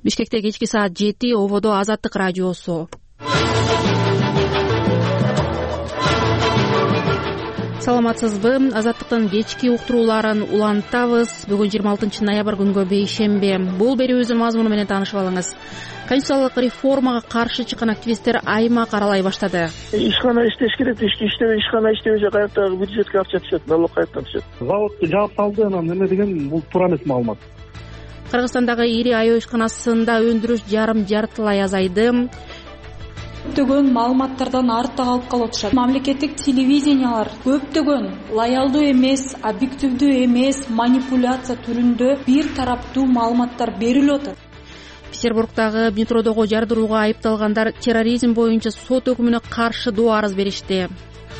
Бишкекте кечки саат 7, Ободо Азаттык радиосу. Саламатсызбы? Азаттыктын кечки уктурууларын улантабыз. Бүгүн 26 ноябрь күнгө бейшембе. Бул берүүбүздүн мазмуну менен таанышып алыңыз. Конституциялык реформага каршы чыккан активисттер аймак аралай баштады. Ишкана иштеш керек, иштебей, ишкана иштебесе каяктагы бюджетке акча түшөт, налог каяктан түшөт? Заводду жаап салды, анан эме деген бул туура эмес маалымат. Кыргызстандагы ири аябай ишканасында өндүрүш жартылай азайды. Көптөгөн маалыматтардан артта калып атышат. Мамлекеттик телевидениялар көптөгөн лоялдуу эмес, объективдүү эмес, манипуляция түрүндө бир тараптуу маалыматтар берилип атат. Петербургдагы метродогу жардырууга айыпталгандар терроризм боюнча сот өкүмүнө каршы доо арыз беришти.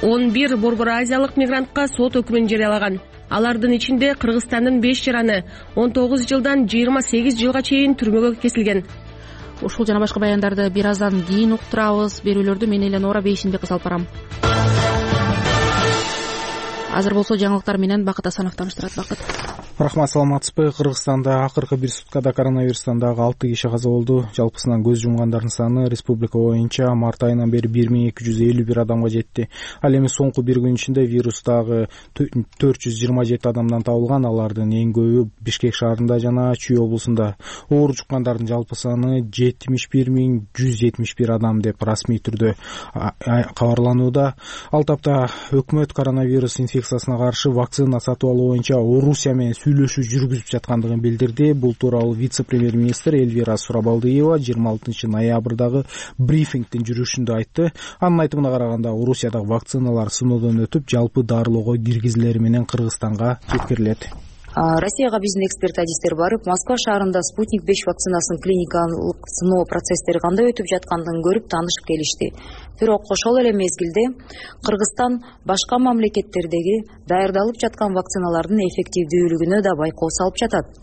11 Борбор Азиялык мигрантка сот өкүмүн жарыялаган. Алардын ичинде Кыргызстандын 5 жараны 19 жылдан 28 жылга чейин түрмөгө кесилген. Ушул жана башка баяндарды бир аздан кийин уктурабыз. Берүүлөрдү мен Эленора Бейшенбеков алып барам. Азыр болсо жаңылыктар менен Бакыт Асанов тааныштырат. Бакыт. Рахмат, саламатсызбы? Кыргызстанда акыркы бир суткада коронавирустан дагы 6 киши каза болду. Жалпысынан көз жумгандардын саны республика боюнча март айынан бери 1251 адамга жетти. Ал эми соңку бир күн ичинде вирустагы 427 адамдан табылган. Алардын эң көбү Бишкек шаарында жана Чүй облусунда. Оор жуккандардын жалпы саны 71171 адам деп расмий түрдө кабарланууда. Ал тапта өкмөт коронавирус инфекциясына каршы вакцина сатып алуу боюнча Орусия менен сүйлөшүү жүргүзүп жаткандыгын билдирди. Бул тууралуу вице-премьер-министр Эльвира Сурабалдиева 26 ноябрдагы брифингдин жүрүшүндө айтты. Анын айтымына караганда, Орусиядагы вакциналар сыноодон өтүп, жалпы дарылоого киргизилери менен Кыргызстанга жеткирилет. Россияга биздин эксперт адистер барып, Москва шаарында Спутник 5 вакцинасынын клиникалык сыноо процесстери кандай өтүп жаткандыгын көрүп таанышып келишти. Бирок ошол эле мезгилде Кыргызстан башка мамлекеттердеги даярдалып жаткан вакциналардын эффективдүүлүгүнө да байкоо салып жатат,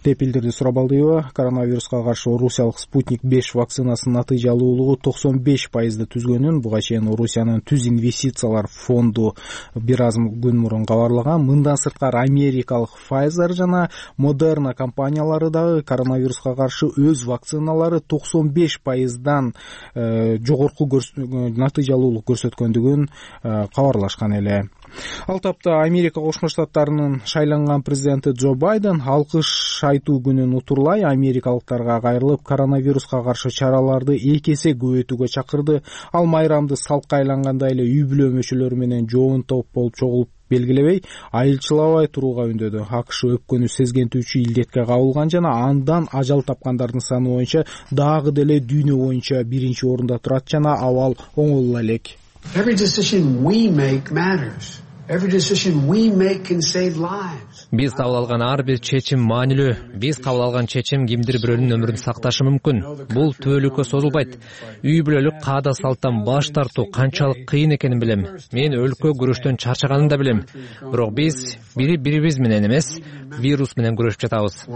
деп билдирди Сурабалдиева. Коронавируска каршы Орусиялык Спутник 5 вакцинасынын натыйжалуулугу 95% түзгөнүн буга чейин Орусиянын түз инвестициялар фонду бир аз күн мурун кабарлаган. Мындан сырткары америкалык Pfizer жана Moderna компаниялары дагы коронавируска каршы өз вакциналары 95%дан жогорку натыйжалуулук көрсөткөндүгүн кабарлашкан эле. Ал тапта Америка Кошмо Штаттарынын шайланган президенти Джо Байден алкыш айтуу күнүн утурлай америкалыктарга кайрылып, коронавируска каршы чараларды 2 эсе көбөйтүүгө чакырды. Ал майрамды салтка айлангандай эле үй бүлө мүчөлөрү менен жоон топ болуп чогулуп белгилебей, айылчылабай турууга үндөдү. АКШ өпкөнү сезгентүүчү илдетке кабылган жана андан ажал тапкандардын саны боюнча дагы деле дүйнө боюнча биринчи орунда турат жана абал оңоло элек. Every decision we make matters. Every decision we make can save lives. Биз кабыл алган ар бир чечим маанилүү. Биз кабыл алган чечим кимдир бирөөнүн өмүрүн сакташы мүмкүн. Бул түбөлүккө созулбайт. Үй бүлөлүк каада салттан баш тартуу канчалык кыйын экенин билем. Мен өлкө күрөштөн чарчаганын да билем. Бирок биз бири-бирибиз менен эмес, вирус менен күрөшүп жатабыз.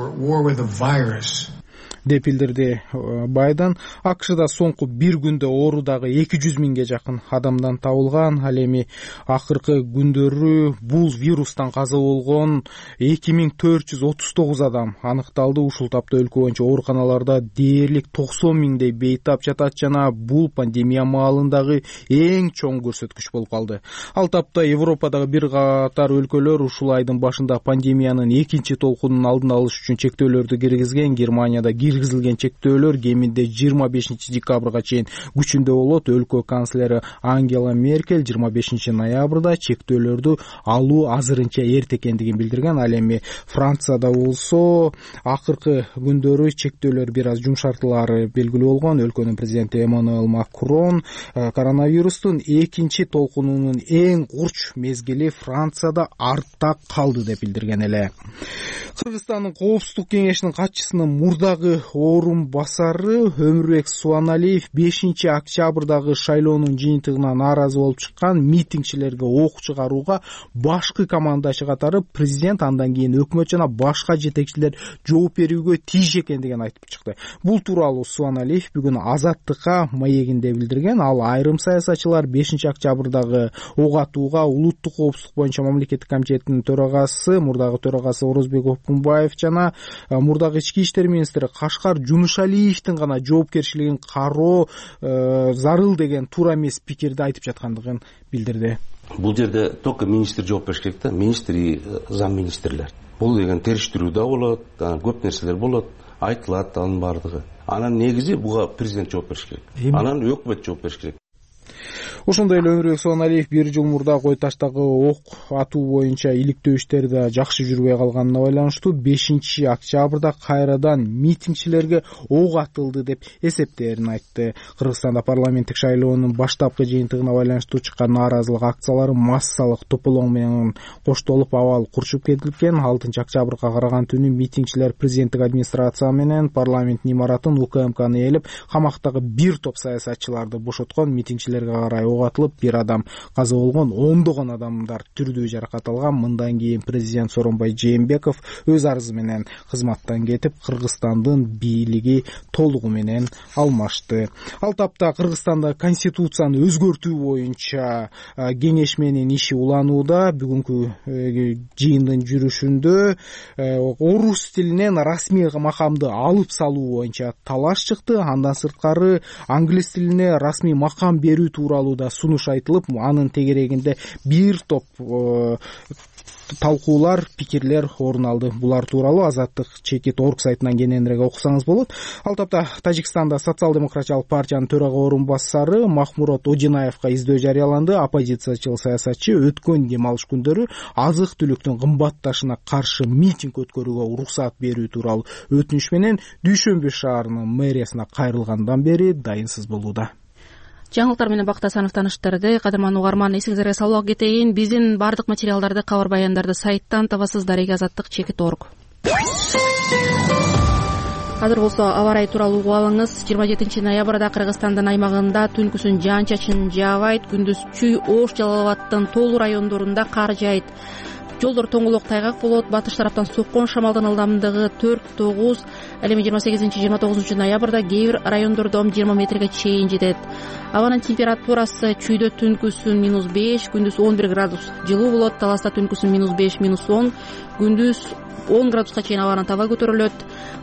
деп билдирди Байден. АКШда соңку бир күндө оорудагы 200 миңге жакын адамдан табылган. Ал эми акыркы күндөрү бул вирустан каза болгон 2439 адам аныкталды. Ушул тапта өлкө боюнча ооруканаларда дээрлик 90 миңдей бейтап жатат жана бул пандемия маалындагы эң чоң көрсөткүч болуп калды. Ал тапта Европадагы бир катар өлкөлөр ушул айдын башында пандемиянын экинчи толкунун алдын алыш үчүн чектөөлөрдү киргизген. Германияда киргизилген чектөөлөр кеминде 25 декабрга чейин күчүндө болот. Өлкө канцлери Ангела Меркель 25 ноябрда чектөөлөрдү алуу азырынча эрте экендигин билдирген. Ал эми Францияда болсо акыркы күндөрү чектөөлөр бир аз жумшартылары белгилүү болгон. Өлкөнүн президенти Эммануэл Макрон коронавирустун экинчи толкунунун эң курч мезгили Францияда артта калды деп билдирген эле. Кыргызстандын Коопсуздук кеңешинин катчысынын мурдагы орун басары Өмүрбек Суаналиев 5 октябрдагы шайлоонун жыйынтыгына нааразы болуп чыккан митингчилерге ок чыгарууга башкы командашы катары президент андан кийин өкмөт жана башка жетекчилер жооп берүүгө тийиш экендигин айтып чыкты. Бул тууралуу Суаналиев бүгүн Азаттыкка маегинде билдирген. Ал айрым саясатчылар 5 октябрдагы ок атууга улуттук коопсуздук боюнча мамлекеттик комитетинин төрагасы, мурдагы төрагасы Орозбек Опкунбаев жана мурдагы ички иштер министри Башкар Жумушалиевдин гана жоопкерчилигин кароо зарыл деген туура эмес пикирди айтып жаткандыгын билдирди. Бул жерде только министр жооп бериш керек да, министр и замминистрлер. Бул деген териштирүү да болот, көп нерселер болот, айтылат анын баардыгы. Анан негизи буга президент жооп бериш керек. Анан өкмөт жооп бериш керек. Ошондой эле Өмүрбек Сооналиев 1 жыл мурда Кой таштагы ок атуу боюнча иликтөө иштери да жакшы жүрбөй калганына байланыштуу 5 октябрда кайрадан митингчилерге ок атылды деп эсептерин айтты. Кыргызстанда парламенттик шайлоонун баштапкы жыйынтыгына байланыштуу чыккан нааразылык акциялары массалык тополоң менен коштолуп абал курчуп кетилген. 6 октябрга караган түнү митингчилер президенттик администрация менен парламенттин имаратын УКМКны ээлеп, камактагы бир топ саясатчыларды бошоткон. Митингчилерге карай ок атылып, бир адам каза болгон, ондогон адамдар түрдүү жаракат алган. Мындан кийин президент Сооронбай Жээнбеков өз арызы менен кызматтан кетип, Кыргызстандын бийлиги толугу менен алмашты. Ал тапта Кыргызстанда конституцияны өзгөртүү боюнча кеңешменин иши уланууда. Бүгүнкү жыйындын жүрүшүндө орус тилинен расмий макамды алып салуу боюнча талаш чыкты. Андан сырткары англис тилине расмий макам берүү тууралуу да сунуш айтылып, анын тегерегинде бир топ талкуулар, пикирлер орун алды. Булар тууралуу Азаттык чекит орг сайтынан кененирээк окусаңыз болот. Ал тапта Тажикстанда социал-демократиялык партиянын төрага орун басары Махмурод Одинаевга издөө жарыяланды. Оппозициячыл саясатчы өткөн дем алыш күндөрү азык-түлүктүн кымбатташына каршы митинг өткөрүүгө уруксат берүү тууралуу өтүнүш менен Дүйшөмбү шаарынын мэриясына кайрылгандан бери дайынсыз болууда. Жаңылыктар менен Бакыт Асанов таныштырды. Кадырман угарман, эсиңизге салып кетейин. Биздин бардык материалдарды, кабар баяндарды сайттан табасыз. Дареги Азаттык чекит орг. Азыр болсо аба ырайы тууралуу угуп алыңыз. 27 ноябрда Кыргызстандын аймагында түнкүсүн жаан-чачын жаабайт, күндүз Чүй, Ош, Жалал Абаддын тоолуу райондорунда кар жаайт. Жолдор тоңголок тайгак болот. Батыш тараптан соккон шамалдын ылдамдыгы 4-9, ал эми 28-29 ноябрда кээ бир райондордо 20 метрге чейин жетет. Абанын температурасы Чүйдө түнкүсүн -5, күндүз 11 градус жылуу болот. Таласта түнкүсүн -5, -10, күндүз 10 градуска чейин абанын таба көтөрүлөт.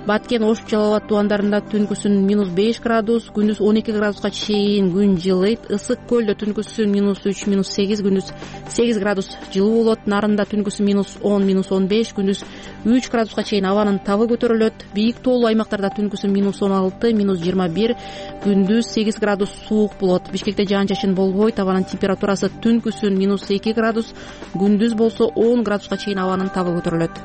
Баткен, Ош, Жалал Абад тубандарында түнкүсүн -5 градус, күндүз 12 градуска чейин күн жылыйт. Ысык көлдө түнкүсүн -3, -8, күндүз 8 градус жылуу болот. Нарында түнкүсүн -10, -15, күндүз 3 градуска чейин абанын табы көтөрүлөт. Бийик тоолуу аймактарда түнкүсүн -16, -21, күндүз 8 градус суук болот. Бишкекте жаан-чачын болбойт. Абанын температурасы түнкүсүн -2 градус, күндүз болсо 10 градуска чейин абанын табы көтөрүлөт.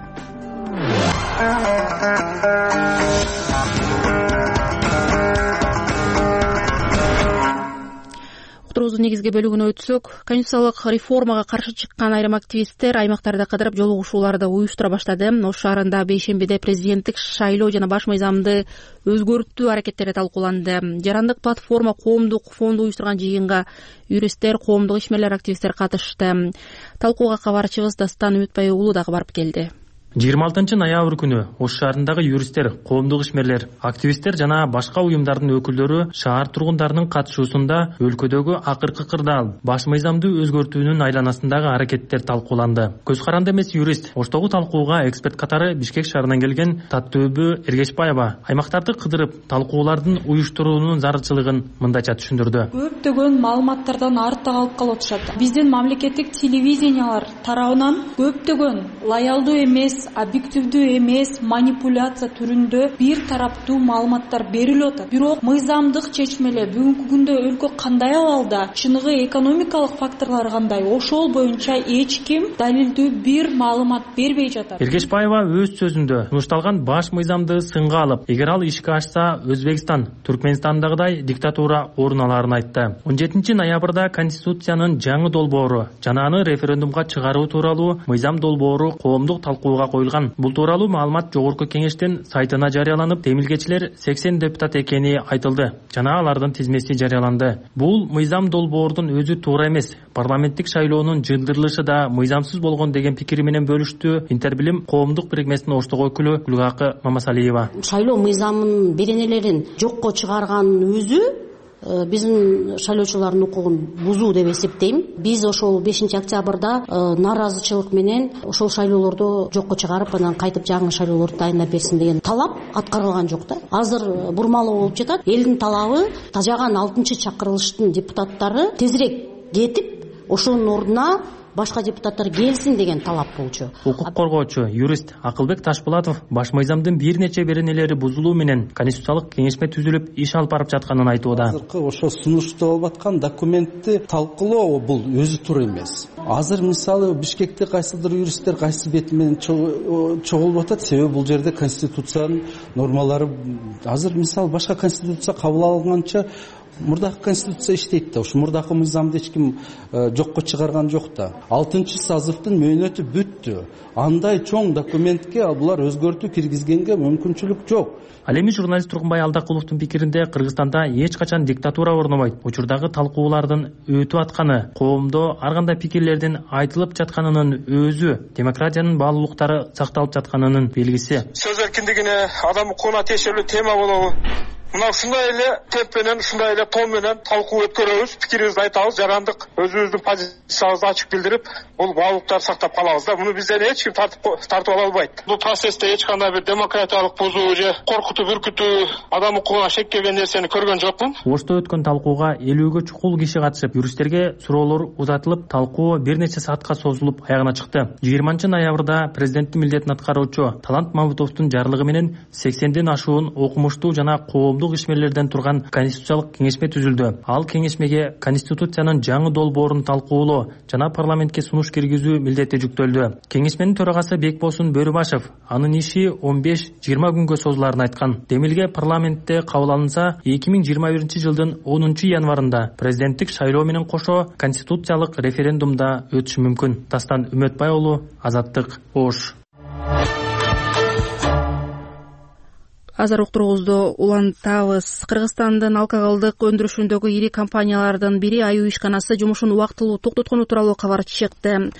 Уктуруубуздун негизги бөлүгүнө өтсөк, конституциялык реформага каршы чыккан айрым активисттер аймактарды кыдырып жолугушууларды уюштура баштады. Ош шаарында бейшембиде президенттик шайлоо жана баш мыйзамды өзгөртүү аракеттери талкууланды. Жарандык платформа коомдук фонду уюштурган жыйынга юристтер, коомдук ишмерлер, активисттер катышты. Талкууга кабарчыбыз Дастан Үмүтбай уулу дагы барып келди. 26 ноябрь күнү Ош шаарындагы юристтер, коомдук ишмерлер, активисттер жана башка уюмдардын өкүлдөрү шаар тургундарынын катышуусунда өлкөдөгү акыркы кырдаал баш мыйзамды өзгөртүүнүн айланасындагы аракеттер талкууланды. Көз каранды эмес юрист Оштогу талкууга эксперт катары Бишкек шаарынан келген Таттөбү Эргешбаева аймактарды кыдырып талкуулардын уюштуруунун зарылчылыгын мындайча түшүндүрдү. Көптөгөн маалыматтардан артта калып атышат. Биздин мамлекеттик телевидениялар тарабынан көптөгөн лоялдуу эмес, объективдүү эмес, манипуляция түрүндө бир тараптуу маалыматтар берилип атат. Бирок мыйзамдык чечмелер бүгүнкү күндө өлкө кандай абалда, чыныгы экономикалык факторлор кандай, ошол боюнча эч ким далилдүү бир маалымат бербей жатат. Эргешбаева өз сөзүндө сунушталган баш мыйзамды сынга алып, эгер ал ишке ашса, Өзбекстан, Түркмөнстандагыдай диктатура орун аларын айтты. 17 ноябрда Конституциянын жаңы долбоору жана аны референдумга чыгаруу тууралуу мыйзам долбоору коомдук талкууга коюлган. Бул тууралуу маалымат жогорку кеңештин сайтына жарыяланып, демилгечилер 80 депутат экени айтылды жана алардын тизмеси жарыяланды. Бул мыйзам долбоордун өзү туура эмес. Парламенттик шайлоонун жылдырылышы да мыйзамсыз болгон деген пикири менен бөлүштү Интербилим коомдук бирикмесинин Оштогу өкүлү Гүлгакы Мамасалиева. Шайлоо мыйзамынын беренелерин жокко чыгарганын өзү биздин шайлоочулардын укугун бузуу деп эсептейм. Биз ошол 5-октябрда нааразычылык менен ошол шайлоолорду жокко чыгарып, анан кайтып жаңы шайлоолорду дайындап берсин деген талап аткарылган жок да. Азыр бурмалоо болуп жатат. Элдин талабы тажаган 6-чакырылыштын депутаттары тезирээк кетип, ошонун ордуна башка депутаттар келсин деген талап болчу. Укук коргоочу, юрист Акылбек Ташпулатов баш мыйзамдын бир нече беренелери бузулуу менен конституциялык кеңешме түзүлүп иш алып барып жатканын айтууда. Азыркы ошо сунушталып аткан документти талкуулоо бул өзү туура эмес. Азыр мисалы Бишкекте кайсыдыр юристтер кайсы бети менен чогулуп атат, себеби бул жерде конституциянын нормалары азыр мисалы башка конституция кабыл алынганча мурдакы конституция иштейт да, ушу мурдакы мыйзамды эч ким жокко чыгарган жок да. 6-сазывдын мөөнөтү бүттү. Андай чоң документке булар өзгөртүү киргизгенге мүмкүнчүлүк жок. Ал эми журналист Тургунбай Алдакуловдун пикиринде Кыргызстанда эч качан диктатура орнобойт. Учурдагы талкуулардын өтүп атканы, коомдо ар кандай пикирлердин айтылып жатканынын өзү демократиянын баалуулуктары сакталып жатканынын белгиси. Сөз эркиндигине, адам укугуна тиешелүү тема болобу? Мына ушундай эле теп менен, ушундай эле тон менен талкуу өткөрөбүз, пикирибизди айтабыз, жарандык өзүбүздүн позициябызды ачык билдирип, бул баалуулуктарды сактап калабыз да. Муну бизден эч ким тартып ала албайт. Бул процессте эч кандай бир демократиялык бузуу же коркутуп үркүтүү, адам укугуна шек келген нерсени көргөн жокмун. Ошто өткөн талкууга 50ге чукул киши катышып, юристтерге суроолор узатылып, талкуу бир нече саатка созулуп аягына чыкты. 20-ноябрда президенттин милдетин аткаруучу Талант Мамытовдун жарлыгы менен 80ден ашуун окумуштуу жана коомдук ишмерлерден турган конституциялык кеңешме түзүлдү. Ал кеңешмеге конституциянын жаңы долбоорун талкуулоо жана парламентке сунуш киргизүү милдети жүктөлдү. Кеңешменин төрагасы Бекбосун Бөрүбашев анын иши 15-20 күнгө созуларын айткан. Демилге парламентте кабыл алынса, 2021-жылдын 10-январында президенттик шайлоо менен кошо конституциялык референдумда өтүшү мүмкүн. Дастан Үмөтбай уулу, Азаттык, Ош. Азыр уктуруубузду улантабыз. Кыргызстандын алкоголдук өндүрүшүндөгү ири компаниялардын бири аюу ишканасы жумушун убактылуу токтоткону тууралуу кабар чыкты.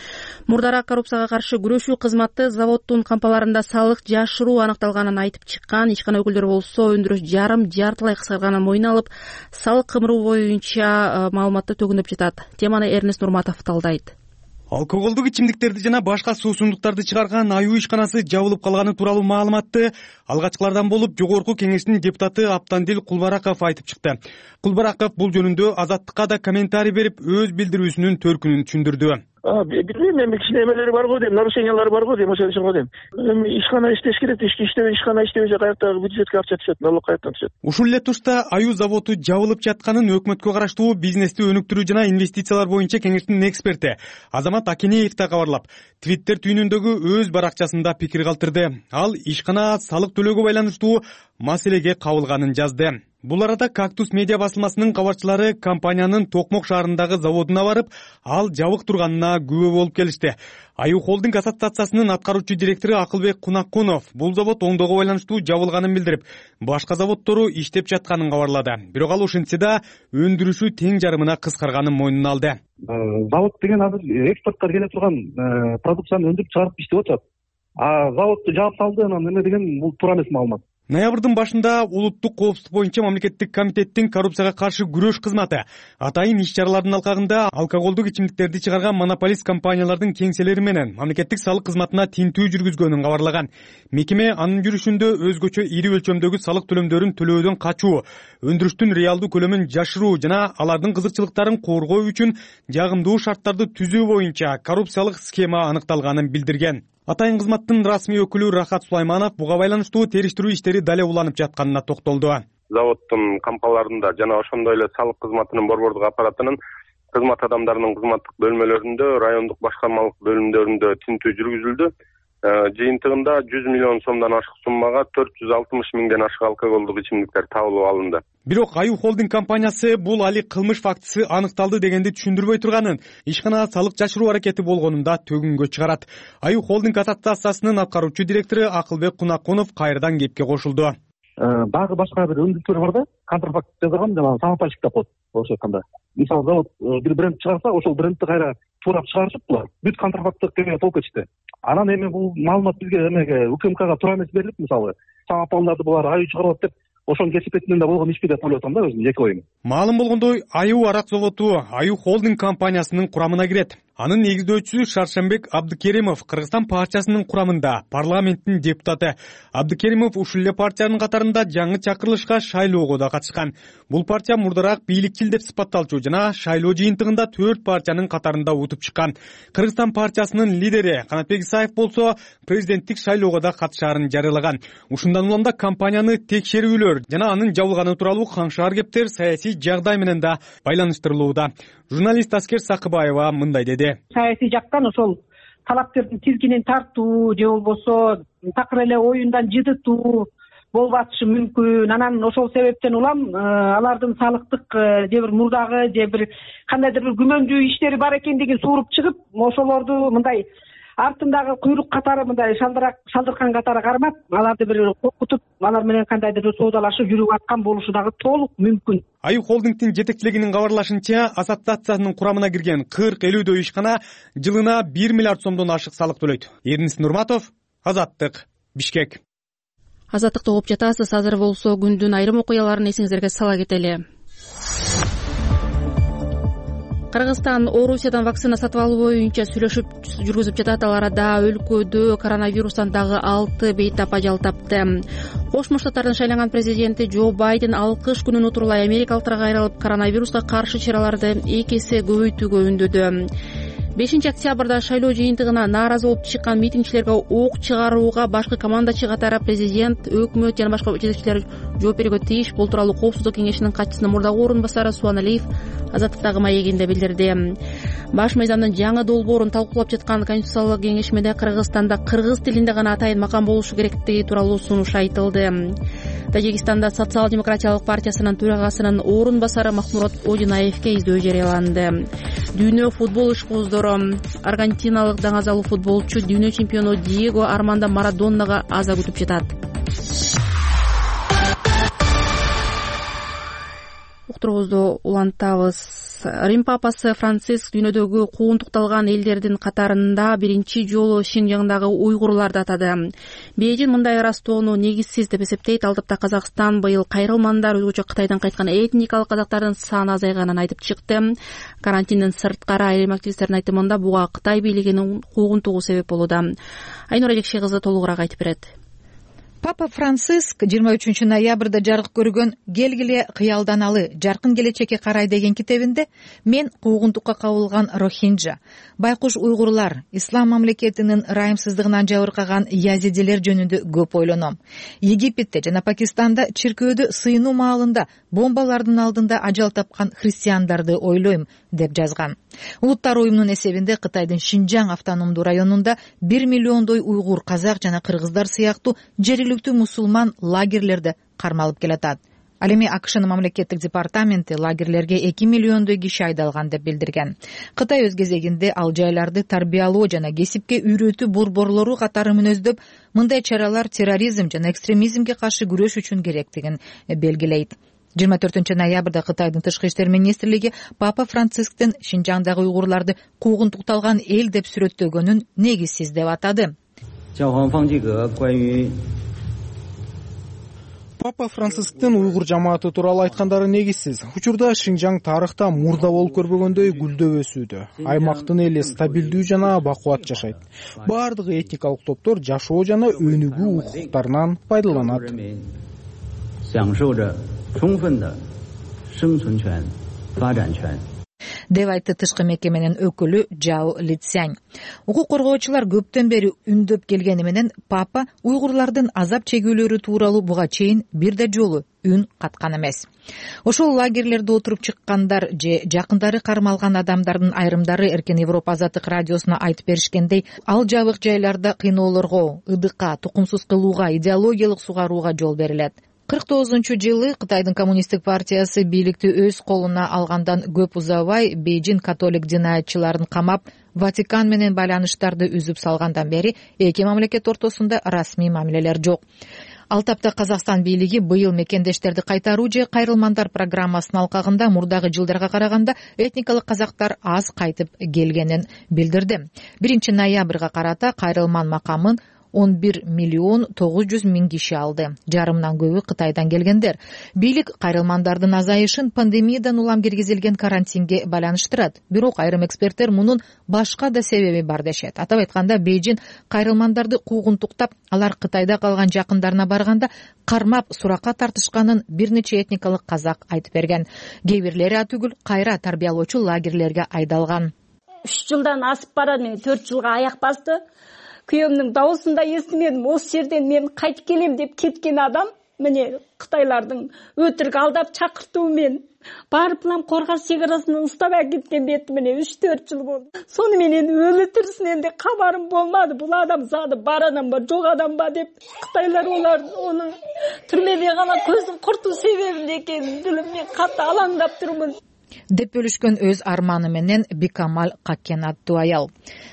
Мурдараак коррупцияга каршы күрөшүү кызматы заводдун кампаларында салык жашыруу аныкталганын айтып чыккан. Ишкана өкүлдөрү болсо өндүрүш жартылай кыскарганын мойнуна алып, салык кымыруу боюнча маалыматты төгүндөп жатат. Теманы Эрнест Нурматов талдайт. Алкоголдук ичимдиктерди жана башка суусундуктарды чыгарган аюу ишканасы жабылып калганы тууралуу маалыматты алгачкылардан болуп Жогорку Кеңештин депутаты Аптандил Кулбараков айтып чыкты. Кулбараков бул жөнүндө Азаттыкка да комментарий берип, өз билдирүүсүнүн төркүнүн түшүндүрдү. Билбейм, эми кичине эмелери бар го дейм, нарушениялары бар го дейм, ошол үчүн го дейм. Эми ишкана иштеш керек, ишкана иштебесе каяктагы бюджетке акча түшөт, налог каяктан түшөт. Ушул эле тушта аюу заводу жабылып жатканын өкмөткө караштуу бизнести өнүктүрүү жана инвестициялар боюнча кеңештин эксперти Азамат Акинеев да кабарлап, Твиттер түйүнүндөгү өз баракчасында пикир калтырды. Ал ишкана салык төлөөгө байланыштуу маселеге кабылганын жазды. Бул арада Кактус медиа басылмасынын кабарчылары компаниянын Токмок шаарындагы заводуна барып, ал жабык турганына күбө болуп келишти. Аюу холдинг ассоциациясынын аткаруучу директору Акылбек Кунакунов бул завод оңдоого байланыштуу жабылганын билдирип, башка заводдору иштеп жатканын кабарлады. Бирок ал ошентсе да өндүрүшү тең жарымына кыскарганын мойнуна алды. Завод деген азыр экспортко келе турган продукцияны өндүрүп чыгарып иштеп атат. Заводду жаап салды, анан эме деген бул туура эмес маалымат. Ноябрдын башында улуттук коопсуздук боюнча мамлекеттик комитеттин коррупцияга каршы күрөш кызматы атайын иш-чаралардын алкагында алкоголдук ичимдиктерди чыгарган монополист компаниялардын кеңселери менен мамлекеттик салык кызматына тинтүү жүргүзгөнүн кабарлаган. Мекеме анын жүрүшүндө өзгөчө ири өлчөмдөгү салык төлөмдөрүн төлөөдөн качуу, өндүрүштүн реалдуу көлөмүн жашыруу жана алардын кызыкчылыктарын коргоо үчүн жагымдуу шарттарды түзүү боюнча коррупциялык схема аныкталганын билдирген. Атайын кызматтын расмий өкүлү Рахат Сулайманов буга байланыштуу териштирүү иштери дале уланып жатканына токтолду. Заводдун кампаларында жана ошондой эле салык кызматынын борбордук аппаратынын кызмат адамдарынын кызматтык бөлмөлөрүндө, райондук башкармалык бөлүмдөрүндө тинтүү жүргүзүлдү. Жыйынтыгында 100 миллион сомдон ашык суммага 460 миңден ашык алкоголдук ичимдиктер табылып алынды. Бирок аюу холдинг компаниясы бул али кылмыш фактысы аныкталды дегенди түшүндүрбөй турганын, ишкана салык жашыруу аракети болгонун да төгүнгө чыгарат. Аюу холдинг ассоциациясынын аткаруучу директору Акылбек Кунакунов кайрадан кепке кошулду. Дагы башка бир өндүрүштөр бар да, контрафакт жазган, жана самопальщик деп коет. Ошо айтканда, мисалы завод бир бренд чыгарса, ошол брендти кайра туурап чыгарышып, булар бүт контрафакттык кемеге толуп кетишти. Анан эми бул маалымат бизге эмеге УКМКга туура эмес берилип, мисалы самопалдарды булар аюу чыгарып деп ошонун кесипетинен да болгон ишпи деп ойлоп атам да, өзүмдүн жеке оюм. Маалым болгондой, Аюу арак заводу Аюу холдинг компаниясынын курамына кирет. Анын негиздөөчүсү Шаршембек Абдыкеримов Кыргызстан партиясынын курамында, парламенттин депутаты. Абдыкеримов ушул эле партиянын катарында жаңы чакырылышка шайлоого да катышкан. Бул партия мурдараак бийликчил деп сыпатталчу жана шайлоо жыйынтыгында 4 партиянын катарында утуп чыккан. Кыргызстан партиясынын лидери Канатбек Исаев болсо президенттик шайлоого да катышаарын жарыялаган. Ушундан улам да компанияны текшерүүлөр жана анын жабылганы тууралуу каңшаар кептер саясий жагдай менен да байланыштырылууда. Журналист Аскер Сакыбаева мындай деди. Саясий жактан ошол талапкердин тизгинин тартуу же болбосо такыр эле оюндан жыдытуу болуп атышы мүмкүн. Анан ошол себептен улам алардын салыктык же бир мурдагы же бир кандайдыр бир күмөндүү иштери бар экендигин сууруп чыгып, ошолорду мындай артындагы куйрук катары мындай шалдыркан катары кармап, аларды бир коркутуп, алар менен кандайдыр бир соодалашып жүрүп аткан болушу дагы толук мүмкүн. Аюу холдингдин жетекчилигинин кабарлашынча, ассоциациянын курамына кирген 40-50 ишкана жылына 1 миллиард сомдон ашык салык төлөйт. Эрнис Нурматов, Азаттык, Бишкек. Азаттыкты угуп жатасыз. Азыр болсо күндүн айрым окуяларын эсиңиздерге сала кетели. Кыргызстан Орусиядан вакцина сатып алуу боюнча сүйлөшүп жүргүзүп жатат. Ал арада өлкөдө коронавирустан дагы 6 бейтап ажал тапты. Кошмо Штаттардын шайланган президенти Джо Байден алкыш күнүн утурлай америкалыктарга кайрылып, коронавируска каршы чараларды 2 эсе көбөйтүүгө үндөдү. 5 октябрда шайлоо жыйынтыгына нааразы болуп чыккан митингчилерге ок чыгарууга башкы командачы катары президент, өкмөт жана башка жетекчилер жооп берүүгө тийиш. Бул тууралуу Коопсуздук кеңешинин катчысынын мурдагы орун басары Суан Алиев Азаттыктагы маегинде билдирди. Баш мыйзамдын жаңы долбоорун талкуулап жаткан Конституциялык кеңешмеде Кыргызстанда кыргыз тилинде гана атайын макам болушу керектиги тууралуу сунуш айтылды. Тажикстанда Социал-демократиялык партиясынын төрагасынын орун басары Махмурат Одинаевке издөө жарыяланды. Дүйнө футбол ишкуздору аргентиналык даңазалуу футболчу дүйнө чемпиону Диего Армандо Марадоннага аза күтүп жатат. Уктуруубузду улантабыз. Рим папасы Франциск дүйнөдөгү куугунтукталган элдердин катарында биринчи жолу Шинжаңдагы уйгурларды атады. Бейжин мындай ырастоону негизсиз деп эсептейт. Ал тапта Казакстан быйыл кайрылмандар, өзгөчө Кытайдан кайткан этникалык казактардын саны азайганын айтып чыкты. Карантинден сырткары айрым активисттердин айтымында буга Кытай бийлигинин куугунтугу себеп болууда. Айнура Жекши кызы толугураак айтып берет. Папа Франциск 23 ноябрда жарык көргөн «Келгиле кыялданалы, жаркын келечекке карай» деген китебинде мен куугунтукка кабылган рохинджа, байкуш уйгурлар, ислам мамлекетинин райымсыздыгынан жабыркаган язидилер жөнүндө көп ойлоном. Египетте жана Пакистанда чиркөөдө сыйынуу маалында бомбалардын алдында ажал тапкан христиандарды ойлойм деп жазган. Улуттар уюмунун эсебинде Кытайдын Шинжаң автономдуу районунда 1 миллиондой уйгур, казак жана кыргыздар сыяктуу жергиликтүү мусулман лагерлерде кармалып келатат. Ал эми АКШнын мамлекеттик департаменти лагерлерге 2 миллиондой киши айдалган деп билдирген. Кытай өз кезегинде ал жайларды тарбиялоо жана кесипке үйрөтүү борборлору катары мүнөздөп, мындай чаралар терроризм жана экстремизмге каршы күрөш үчүн керектигин белгилейт. 24 ноябрда Кытайдын тышкы иштер министрлиги Папа Францисктин Шинжаңдагы уйгурларды куугунтукталган эл деп сүрөттөгөнүн негизсиз деп атады. Папа Францисктин уйгур жамааты тууралуу айткандары негизсиз. Учурда Шинжаң тарыхта мурда болуп көрбөгөндөй гүлдөп өсүүдө. Аймактын эли стабилдүү жана бакубат жашайт. Бардыгы этникалык топтор жашоо жана өнүгүү укуктарынан пайдаланат. Деп айтты тышкы мекеменин өкүлү Жао Лицянь. Укук коргоочулар көптөн бери үндөп келгени менен Папа уйгурлардын азап чегүүлөрү тууралуу буга чейин бир да жолу үн каткан эмес. Ошол лагерлерде отуруп чыккандар же жакындары кармалган адамдардын айрымдары Эркен Европа Азаттык радиосуна айтып беришкендей, ал жабык жайларда кыйноолорго, ыдыкка, тукумсуз кылууга, идеологиялык сугарууга жол берилет. 49-жылы Кытайдын коммунисттик партиясы бийликти өз колуна алгандан көп узабай Бейжин католик динаятчыларын камап, Ватикан менен байланыштарды үзүп салгандан бери эки мамлекет ортосунда расмий мамилелер жок. Ал тапта Казакстан бийлиги быйыл мекендештерди кайтаруу же кайрылмандар программасынын алкагында мурдагы жылдарга караганда этникалык казактар аз кайтып келгенин билдирди. 1 ноябрга карата кайрылман макамын 11,9 киши алды. Жарымдан көбү Кытайдан келгендер. Бийлик кайрылмандардын азайышын пандемиядан улам киргизилген карантинге байланыштырат. Бирок айрым эксперттер мунун башка да себеби бар дешет. Атап айтканда, Бейжин кайрылмандарды куугунтуктап, алар Кытайда калган жакындарына барганда кармап суракка тартышканын бир нече этникалык казак айтып берген. Кээ бирлери атүгүл кайра тарбиялоочу лагерлерге айдалган. 3 жылдан асып барады, мен 4 жылга аяк басты. Күйөөмдүн даусын да эстимедим. Осы жерден мен кайтып келем деп кеткен адам, міне Кытайлардын өтірік алдап чакыртуумен барып Коргаш чегарасынан уштап кеткен бети міне 3-4 жыл болду. Сону менен өлү тирисинен де кабарым болмады. Бул адам зады бар адам ба, жок адам ба деп Кытайлар оны түрмеде гана көзүн куртуу себебинде экенин билип мен катты алаңдап турмун деп бөлүшкөн өз арманы менен Бикамал Каккен аттуу аял.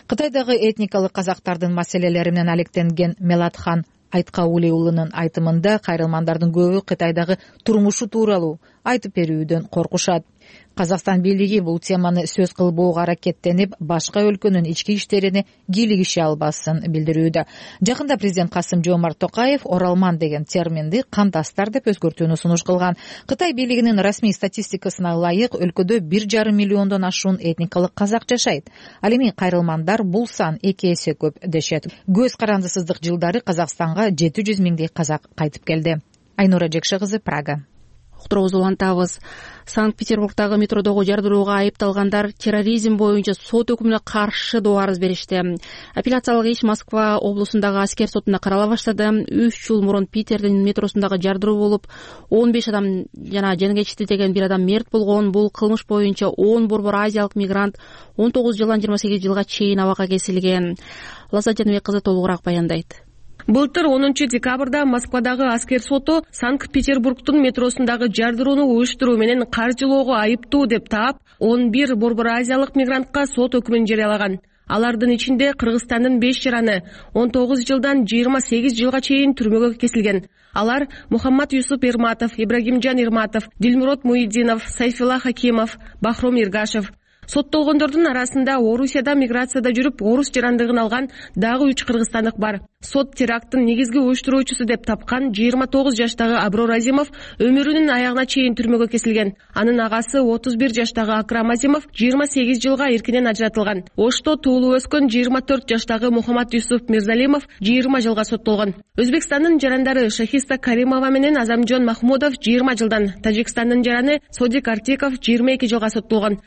Кытайдагы этникалык казактардын маселелери менен алектенген Мелатхан Айткабуле уулунун айтымында, кайрылмандардын көбү Кытайдагы турмушу тууралуу айтып берүүдөн коркушат. Казакстан бийлиги бул теманы сөз кылбоого аракеттенип, башка өлкөнүн ички иштерине кийлигише албасын билдирүүдө. Жакында президент Касым-Жомарт Токаев оралман деген терминди кандастар деп өзгөртүүнү сунуш кылган. Кытай бийлигинин расмий статистикасына ылайык өлкөдө 1,5 миллиондон ашуун этникалык казак жашайт. Ал эми кайрылмандар бул сан 2 эсе көп дешет. Көз карандысыздык жылдары Казакстанга 700 миңдей казак кайтып келди. Айнура Жекше кызы, Прага. Уктурубузду улантабыз. Санкт-Петербургдагы метродогу жардырууга айыпталгандар терроризм боюнча сот өкүмүнө каршы доо арыз беришти. Апелляциялык иш Москва облусундагы аскер сотунда карала баштады. 3 жыл мурун Питердин метросундагы жардыруу болуп, 15 адам жана жан кечти деген бир адам мерт болгон. Бул кылмыш боюнча 10 борбор азиялык мигрант 19 жылдан 28 жылга чейин абакка кесилген. Лаза Жаныбек кызы толугураак баяндайт. Былтыр 10 декабрда Москвадагы аскер соту Санкт-Петербургдун метросундагы жардырууну уюштуруу менен каржылоого айыптуу деп таап, 11 борбор азиялык мигрантка сот өкүмүн жарыялаган. Алардын ичинде Кыргызстандын 5 жараны 19 жылдан 28 жылга чейин түрмөгө кесилген. Алар Мухаммад Юсуп Эрматов, Ибрагимжан Эрматов, Дилмурод Муиддинов, Сайфилла Хакимов, Бахром Иргашев. Соттолгондордун арасында Орусияда миграцияда жүрүп, орус жарандыгын алган дагы 3 кыргызстандык бар. Сот теракттын негизги уюштуруучусу деп тапкан 29 жаштагы Аброр Азимов өмүрүнүн аягына чейин түрмөгө кесилген. Анын агасы 31 жаштагы Акрам Азимов 28 жылга эркинен ажыратылган. Ошто туулуп өскөн 24 жаштагы Мухаммад Юсуп Мирзалимов 20 жылга соттолгон. Өзбекстандын жарандары Шахиста Каримова менен Азамжон Махмудов 20 жылдан, Тажикстандын жараны Содик Артиков 22 жылга соттолгон.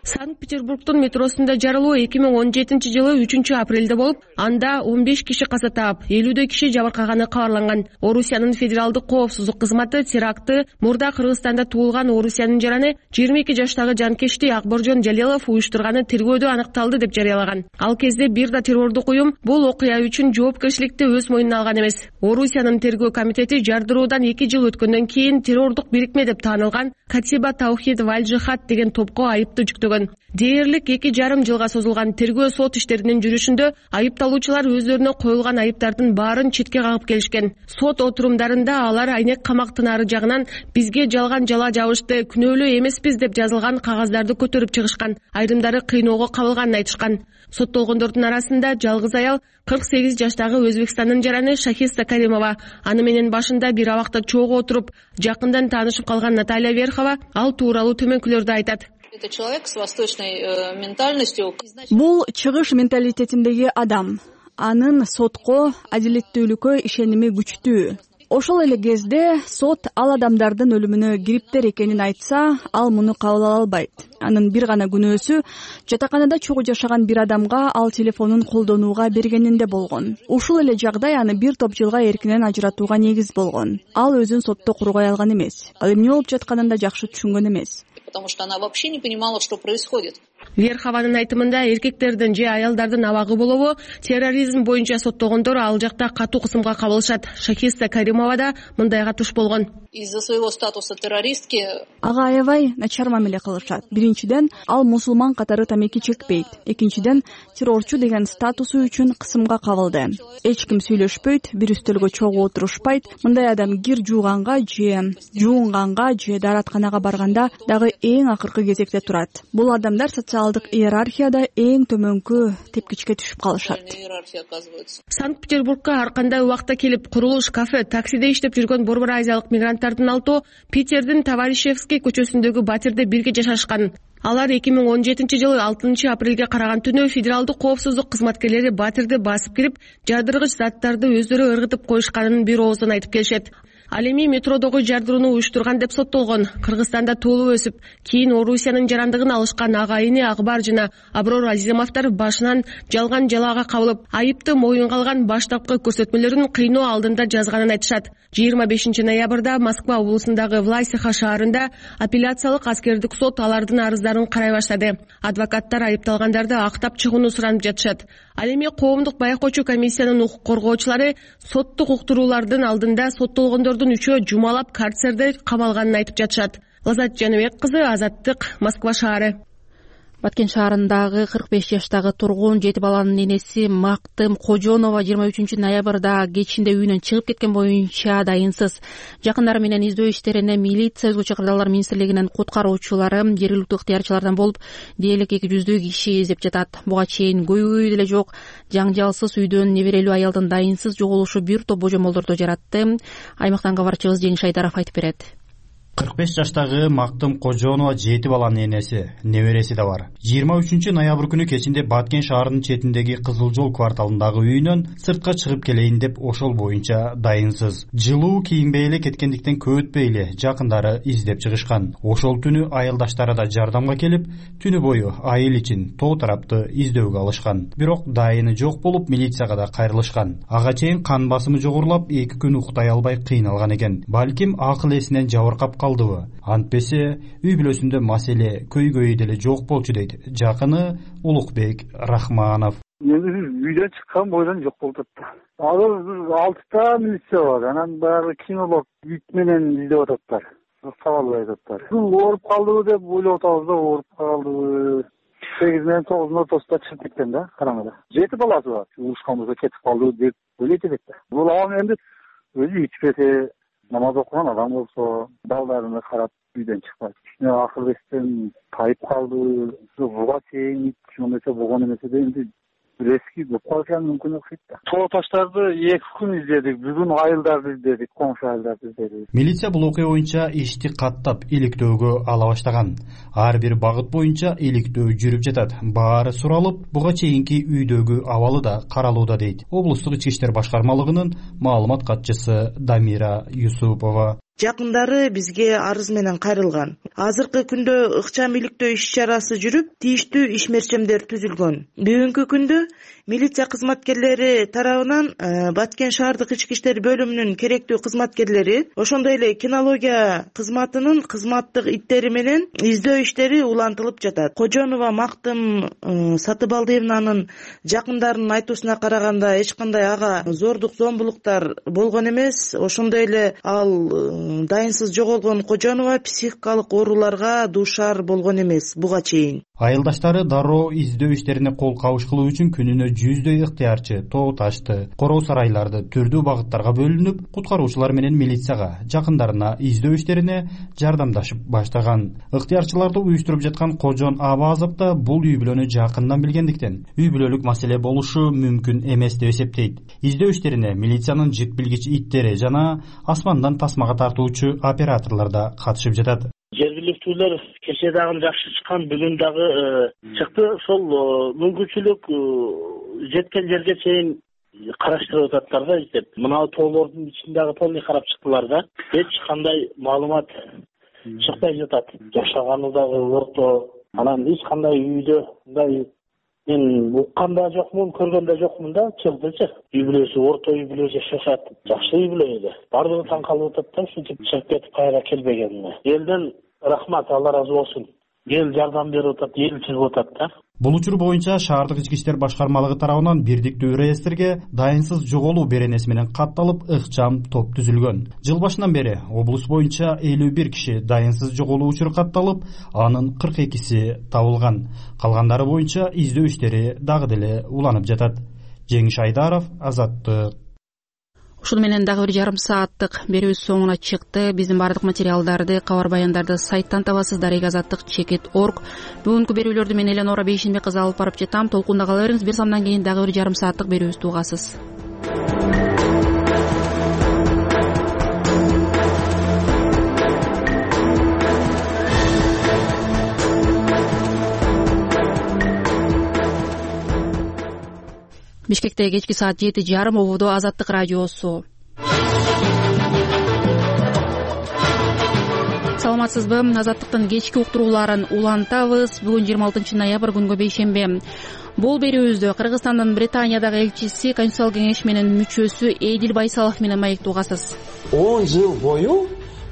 Санкт-Петербургдун метросунда жарылуу 2017 жылы 3-апрелде болуп, анда 15 киши каза таап, 50 киши жабыркаганы кабарланган. Орусиянын федералдык коопсуздук кызматы терактты мурда Кыргызстанда туулган Орусиянын жараны 22 жаштагы жанкечти Акборжон Жалилов уюштурганы тергөөдө аныкталды деп жарыялаган. Ал кезде бир да террордук уюм бул окуя үчүн жоопкерчиликти өз мойнуна алган эмес. Орусиянын тергөө комитети жардыруудан 2 жыл өткөндөн кийин террордук бирикме деп таанылган Катиба Таухид Валь-Жихад деген топко айыпты жүктөгөн. Дээрлик 2,5 жылга созулган тергөө сот иштеринин жүрүшүндө айыпталуучулар өздөрүнө коюлган айыптардын баарын четке кагып келишкен. Сот отурумдарында алар айнек камактын ары жагынан бизге жалган жала жабышты, күнөөлүү эмеспиз деп жазылган кагаздарды көтөрүп чыгышкан. Айрымдары кыйноого кабылганын айтышкан. Соттолгондордун арасында жалгыз аял 48 жаштагы Өзбекстандын жараны Шахиста Каримова. Аны менен башында бир абакта чогуу отуруп, жакындан таанышып калган Наталья Верхова ал тууралуу төмөнкүлөрдү айтат. Это человек с восточной ментальностью. Бул чыгыш менталитетиндеги адам. Анын сотко, адилеттүүлүккө ишеними күчтүү. Ошол эле кезде сот ал адамдардын өлүмүнө кириптер экенин айтса, ал муну кабыл ала албайт. Анын бир гана күнөөсү жатаканада чогуу жашаган бир адамга ал телефонун колдонууга бергенинде болгон. Ушул эле жагдай аны бир топ жылга эркинен ажыратууга негиз болгон. Ал өзүн сотто кургай алган эмес. Ал эмне болуп жатканын да жакшы түшүнгөн эмес. Потому что она вообще не понимала, что происходит. Верхованын айтымында эркектердин же аялдардын абагы болобу терроризм боюнча соттогондор ал жакта катуу кысымга кабылышат. Шахиста Каримова да мындайга туш болгон. Из-за своего статуса террористки ага аябай начар мамиле кылышат. Биринчиден, ал мусулман катары тамеки чекпейт. Экинчиден, террорчу деген статусу үчүн кысымга кабылды. Эч ким сүйлөшпөйт, бир үстөлгө чогуу отурушпайт. Мындай адам кир жууганга же жуунганга же дааратканага барганда дагы эң акыркы кезекте турат. Бул адамдар социалдык иерархияда эң төмөнкү тепкичке түшүп калышат. Санкт-Петербургка ар кандай убакта келип, курулуш, кафе, таксиде иштеп жүргөн Борбор Азиялык мигранттардын алтоо Питердин Товарищевский көчөсүндөгү батирде бирге жашашкан. Алар 2017-жылы 6 апрелге караган түнү федералдык коопсуздук кызматкерлери батирди басып кирип, жардыргыч заттарды өздөрү ыргытып коюшканын бир оозун айтып келишет. Ал эми метродогу жардырууну уюштурган деп соттолгон. Кыргызстанда туулуп өсүп, кийин Орусиянын жарандыгын алышкан агайыны Акбар жана Аброр Азизимовдор башынан жалган жалаага кабылып, айыпты моюнга алган баштапкы көрсөтмөлөрүн кыйноо алдында жазганын айтышат. 25 ноябрда Москва облусундагы Власиха шаарында апелляциялык аскердик сот алардын арыздарын карай баштады. Адвокаттар айыпталгандарды актап чыгууну суранып жатышат. Ал эми коомдук байкоочу комиссиянын укук коргоочулары соттук уктуруулардын алдында соттолгондордун үчөө жумалап карцерде камалганын айтып жатышат. Лазат Жаныбек кызы, Азаттык, Москва шаары. Баткен шаарындагы 45 жаштагы тургун 7 баланын энеси Мактым Кожонова 23 ноябрда кечинде үйүнөн чыгып кеткен боюнча дайынсыз. Жакындары менен издөө иштерине милиция, өзгөчө кырдаалдар министрлигинин куткаруучулары, жергиликтүү ыктыярчылардан болуп, дээрлик 200 киши издеп жатат. Буга чейин көйгөй деле жок, жаңжалсыз үйдөн неберелүү аялдын дайынсыз жоголушу бир топ божомолдорду жаратты. Аймактан кабарчыбыз Жеңиш Айдаров айтып берет. 45 жаштагы Мактым Кожонова 7 баланын энеси, небереси да бар. 23 ноябрь күнү кечинде Баткен шаарынын четиндеги Кызыл жол кварталындагы үйүнөн сыртка чыгып келейин деп ошол боюнча дайынсыз. Жылуу кийинбей эле кеткендиктен көп өтпөй эле жакындары издеп чыгышкан. Ошол түнү айылдаштары да жардамга келип, түнү бою айыл ичин тоо тарапты издөөгө алышкан. Бирок дайыны жок болуп, милицияга да кайрылышкан. Ага чейин кан басымы жогорулап, 2 күн уктай албай кыйналган экен. Балким акыл эсинен жабыркап калдыбы? Антпесе үй бүлөсүндө маселе көйгөй деле жок болчу дейт жакыны Улукбек Рахманов. Үйдөн чыккан бойдон жок болуп атат. Азыр 6 милиция бар. Анан баягы кинолог ит менен издеп ататтар. Сабалбай ататтар. Ооруп калдыбы деп ойлоп атабыз да, ооруп калдыбы. 8 менен 9 ортосунда чыгып кеткен да, караңгыда. 7 баласы бар. Урушкан болсо кетип калды деп ойлойт элек да. Бул адам энди өзү ичпесе, намаз окуган адам болсо, балдарына карап үйдөн чыкпайт. Акыл эстен тайып калды. Буга чейин чоңойсо болгон эмес да, энди резки болуп калган мүмкүн окшойт да. Тоо таштарды 2 күн издедик, бүгүн айылдарды издедик, коңшу айылдарды издедик. Милиция бул окуя боюнча ишти каттап иликтөөгө ала баштаган. Ар бир багыт боюнча иликтөө жүрүп жатат. Баары суралып, буга чейинки үйдөгү абалы да каралууда дейт облустук ички иштер башкармалыгынын маалымат катчысы Дамира Юсупова. Жакындары бизге арыз менен кайрылган. Азыркы күндө ыкчам иликтөө иш чарасы жүрүп, тийиштүү ишмерчемдер түзүлгөн. Бүгүнкү күндө милиция кызматкерлери тарабынан Баткен шаардык ички иштер бөлүмүнүн керектүү кызматкерлери, ошондой эле кинология кызматынын кызматтык иттери менен издөө иштери улантылып жатат. Кожонова Мактым Сатыбалдиевнанын жакындарынын айтуусуна караганда эч кандай ага зордук зомбулуктар болгон эмес. Ошондой эле ал дайынсыз жоголгон Кожонова психикалык ооруларга дуушар болгон эмес буга чейин. Айылдаштары дароо издөө иштерине кол кабыш кылуу үчүн күнүнө 100дөй ыктыярчы тоо ташты, короо сарайларды түрдүү багыттарга бөлүнүп, куткаруучулар менен милицияга, жакындарына издөө иштерине жардамдашып баштаган. Ыктыярчыларды уюштуруп жаткан Кожон Абазов да бул үй бүлөнү жакындан билгендиктен үй бүлөлүк маселе болушу мүмкүн эмес деп эсептейт. Издөө иштерине милициянын жык билгич иттери жана асмандан тасмага тартуучу операторлор да катышып жатат. Жергиликтүүлөр кечээ дагы жакшы чыккан, бүгүн дагы чыкты. Ошол мүмкүнчүлүк жеткен жерге чейин караштырып ататтар да, издеп. Мына тоолордун ичинде дагы полный карап чыктылар да. Эч кандай маалымат чыкпай жатат. Жашаганы дагы орто. Анан эч кандай үйдө мындай мен уккан да жокмун, көргөн да жокмун да, чыгдычы. Үй бүлөсү орто үй бүлө жашашат. Жакшы үй бүлө эле. Бардыгы таң калып атат да, ушинтип чыгып кетип кайра келбегенине. Элден рахмат, Алла ыраазы болсун. эл жардам берип атат, эл чыгып атат да. Бул учур боюнча шаардык ички иштер башкармалыгы тарабынан бирдиктүү реестрге дайынсыз жоголуу беренеси менен катталып, ыкчам топ түзүлгөн. Жыл башынан бери облус боюнча 51 киши дайынсыз жоголуу учуру катталып, анын 42си табылган. Калгандары боюнча издөө иштери дагы деле уланып жатат. Жеңиш Айдаров, Азаттык. Ушуну менен дагы 1,5 сааттык берүүбүз соңуна чыкты. Биздин бардык материалдарды, кабар баяндарды сайттан табасыз. darek-azаттык.org. Бүгүнкү берүүлөрдү мен Эленора Бейшенбек кызы алып барып жатам. Толкунда кала бериңиз. Бир самдан кийин дагы 1,5 сааттык берүүбүздү угасыз. Бишкекте кечки саат 7:30 ободо Азаттык радиосу. Саламатсызбы? Азаттыктын кечки уктурууларын улантабыз. Бүгүн 26 ноябрь күнгө бейшембе. Бул берүүбүздү Кыргызстандын Британиядагы элчиси, Конституциялык кеңеш менен мүчөсү Эдил Байсалов менен маектеп угасыз. 10 жыл бою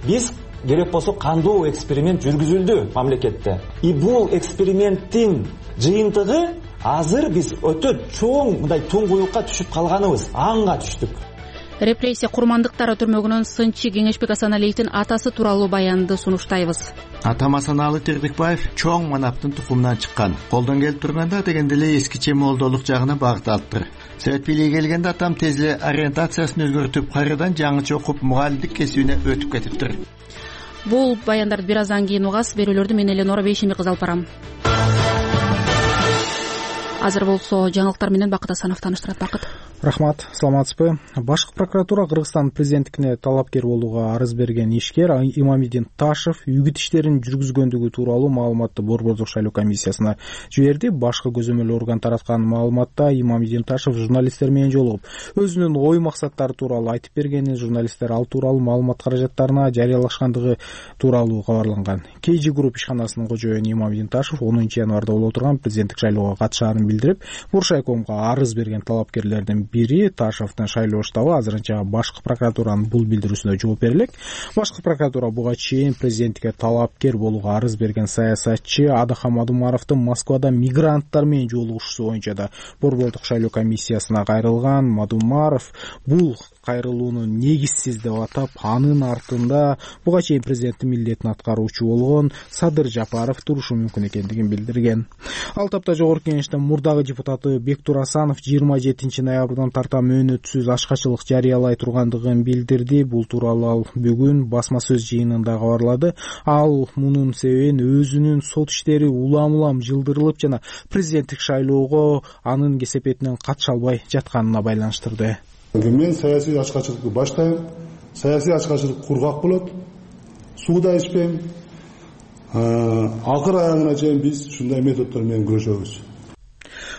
биз керек болсо кандуу эксперимент жүргүзүлдү мамлекетте. И бул эксперименттин жыйынтыгы азыр биз өтө чоң мындай туңгуюкка түшүп калганыбыз, аңга түштүк. Репрессия курмандыктары түрмөгүнөн сынчы Кеңешбек Асаналиевдин атасы тууралуу баянды сунуштайбыз. Атам Асаналы Тирдикбаев чоң манаптын тукумунан чыккан. Колдон келип турганда дегенде эле эскиче молдолук жагына багыт алыптыр. Совет бийлиги келгенде атам тез эле ориентациясын өзгөртүп, кайрадан жаңыча окуп мугалимдик кесибине өтүп кетиптир. Бул баяндарды бир аздан кийин угасыз. Берүүлөрдү мен Эленора Бейшембек кызы алып барам. Азыр болсо жаңылыктар менен Бакыт Асанов тааныштырат. Бакыт. Рахмат, саламатсызбы? Башкы прокуратура Кыргызстан президенттигине талапкер болууга арыз берген ишкер Имамидин Ташев үгүт иштерин жүргүзгөндүгү тууралуу маалыматты Борбордук шайлоо комиссиясына жиберди. Башкы көзөмөл орган тараткан маалыматта Имамидин Ташев журналисттер менен жолугуп, өзүнүн ой максаттары тууралуу айтып бергени, журналисттер ал тууралуу маалымат каражаттарына жарыялашкандыгы тууралуу кабарланган. KG Group ишканасынын кожоюну Имамидин Ташев 10 январда боло турган президенттик шайлоого катышаарын билдирип, Буршайкомго арыз берген талапкерлердин бири Ташевдин шайлоо штабы азырынча башкы прокуратуранын бул билдирүүсүнө жооп бере элек. Башкы прокуратура буга чейин президенттикке талапкер болууга арыз берген саясатчы Адахам Адумаровдун Москвада мигранттар менен жолугушуусу боюнча да Борбордук шайлоо комиссиясына кайрылган. Мадумаров бул кайрылууну негизсиз деп атап, анын артында буга чейин президенттин милдетин аткаруучу болгон Садыр Жапаров турушу мүмкүн экендигин билдирген. Ал тапта жогорку кеңештин мурдагы депутаты Бектур Асанов 27 ноябрдан тарта мөөнөтсүз ашкачылык жарыялай тургандыгын билдирди. Бул тууралуу ал бүгүн басма сөз жыйынында кабарлады. Ал мунун себебин өзүнүн сот иштери улам жылдырылып жана президенттик шайлоого анын кесепетинен катыша албай жатканына байланыштырды. Мен саясий ашкачылыкты баштайм. Саясий ашкачылык кургак болот. Сууда ичпейм. Акыр аягына чейин биз ушундай методдор менен күрөшөбүз.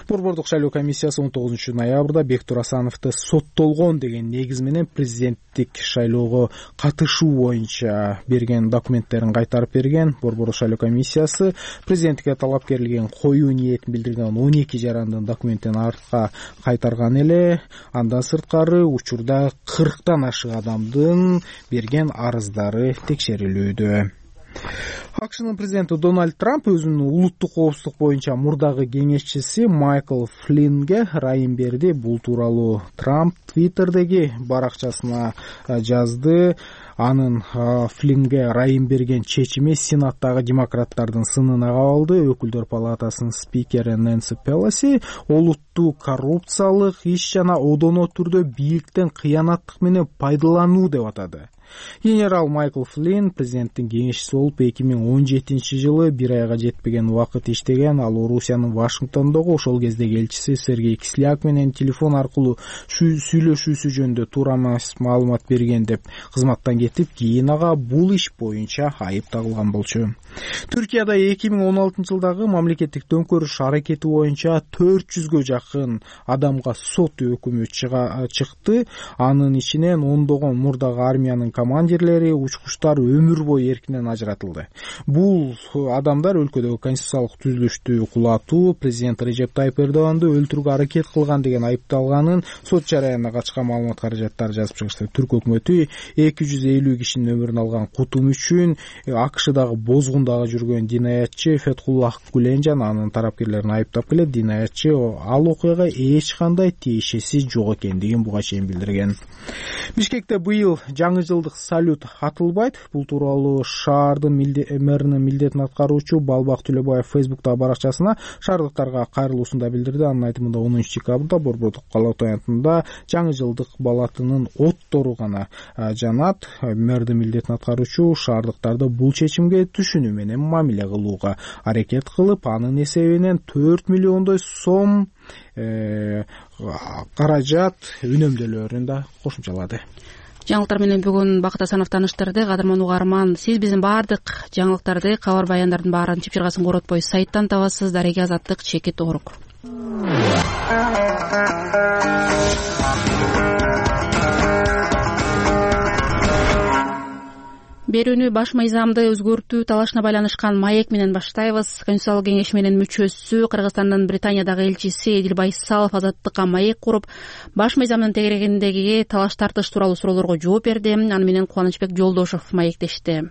Борбордук шайлоо комиссиясы 19 ноябрда Бектур Асановду соттолгон деген негиз менен президенттик шайлоого катышуу боюнча берген документтерин кайтарып берген. Борбордук шайлоо комиссиясы президенттикке талапкерлигин коюу ниетин билдирген 12 жарандын документин артка кайтарган эле. Андан сырткары учурда 40тан ашык адамдын берген арыздары текшерилүүдө. АКШнын президенти Дональд Трамп өзүнүн улуттук коопсуздук боюнча мурдагы кеңешчиси Майкл Флиннге ырайым берди. Бул тууралуу Трамп Твиттердеги баракчасына жазды. Анын Флиннге ырайым берген чечими Сенаттагы демократтардын сынына кабылды. Өкүлдөр палатасынын спикери Нэнси Пелоси олуттуу коррупциялык иш жана одоно түрдө бийликтен кыянаттык менен пайдалануу деп атады. Генерал Майкл Флинн президенттин кеңешчиси болуп 2017 жылы бир айга жетпеген убакыт иштеген. Ал Орусиянын Вашингтондогу ошол кездеги элчиси Сергей Кисляк менен телефон аркылуу сүйлөшүүсү жөнүндө туура эмес маалымат берген деп кызматтан кетип, кийин ага бул иш боюнча айып тагылган болчу. Түркияда 2016 жылдагы мамлекеттик төңкөрүш аракети боюнча 400гө жакын адамга сот өкүмү чыкты. Анын ичинен ондогон мурдагы армиянын командирлери, учкучтар өмүр бою эркинен ажыратылды. Бул адамдар өлкөдөгү конституциялык түзүлүштү кулатуу, президент Режеп Тайып Эрдоганды өлтүрүүгө аракет кылган деген айыпталганын сот жараянына качкан маалымат каражаттары жазып чыгышты. Түрк өкмөтү 50 кишинин өмүрүн алган кутум үчүн АКШдагы бозгундагы жүргөн динаятчы Фетхуллах Гулен жана анын тарапкерлерин айыптап келет. Динаятчы ал окуяга эч кандай тиешеси жок экендигин буга чейин билдирген. Бишкекте быйыл жаңы жылдык салют атылбайт. Бул тууралуу шаардын мэринин милдетин аткаруучу Балбак Төлөбаев Фейсбуктагы баракчасына шаардыктарга кайрылуусунда билдирди. Анын айтымында 10 декабрда Борбордук калаа таянтында жаңы жылдык балатынын оттору гана жанат. Мэрдин милдетин аткаруучу шаардыктарды бул чечимге түшүнүү менен мамиле кылууга аракет кылып, анын эсебинен 4 миллиондой сом каражат үнөмдөлөрүн да кошумчалады. Жаңылыктар менен бүгүн Бакыт Асанов тааныштырды. Кадырман угарман, сиз биздин баардык жаңылыктарды, кабар баяндардын баарын чыпчыргасын коротпой сайттан табасыз. Дареге Азаттык, Чекит Оорук. Берүүнү баш мыйзамды өзгөртүү талашына байланышкан маек менен баштайбыз. Конституциялык кеңеш менен мүчөсү Кыргызстандын Британиядагы элчиси Эдил Байсалов азаттыкка маек куруп, баш мыйзамдын тегерегиндеги талаш тартыш тууралуу суроолорго жооп берди. Аны менен Кубанычбек Жолдошов маектешти.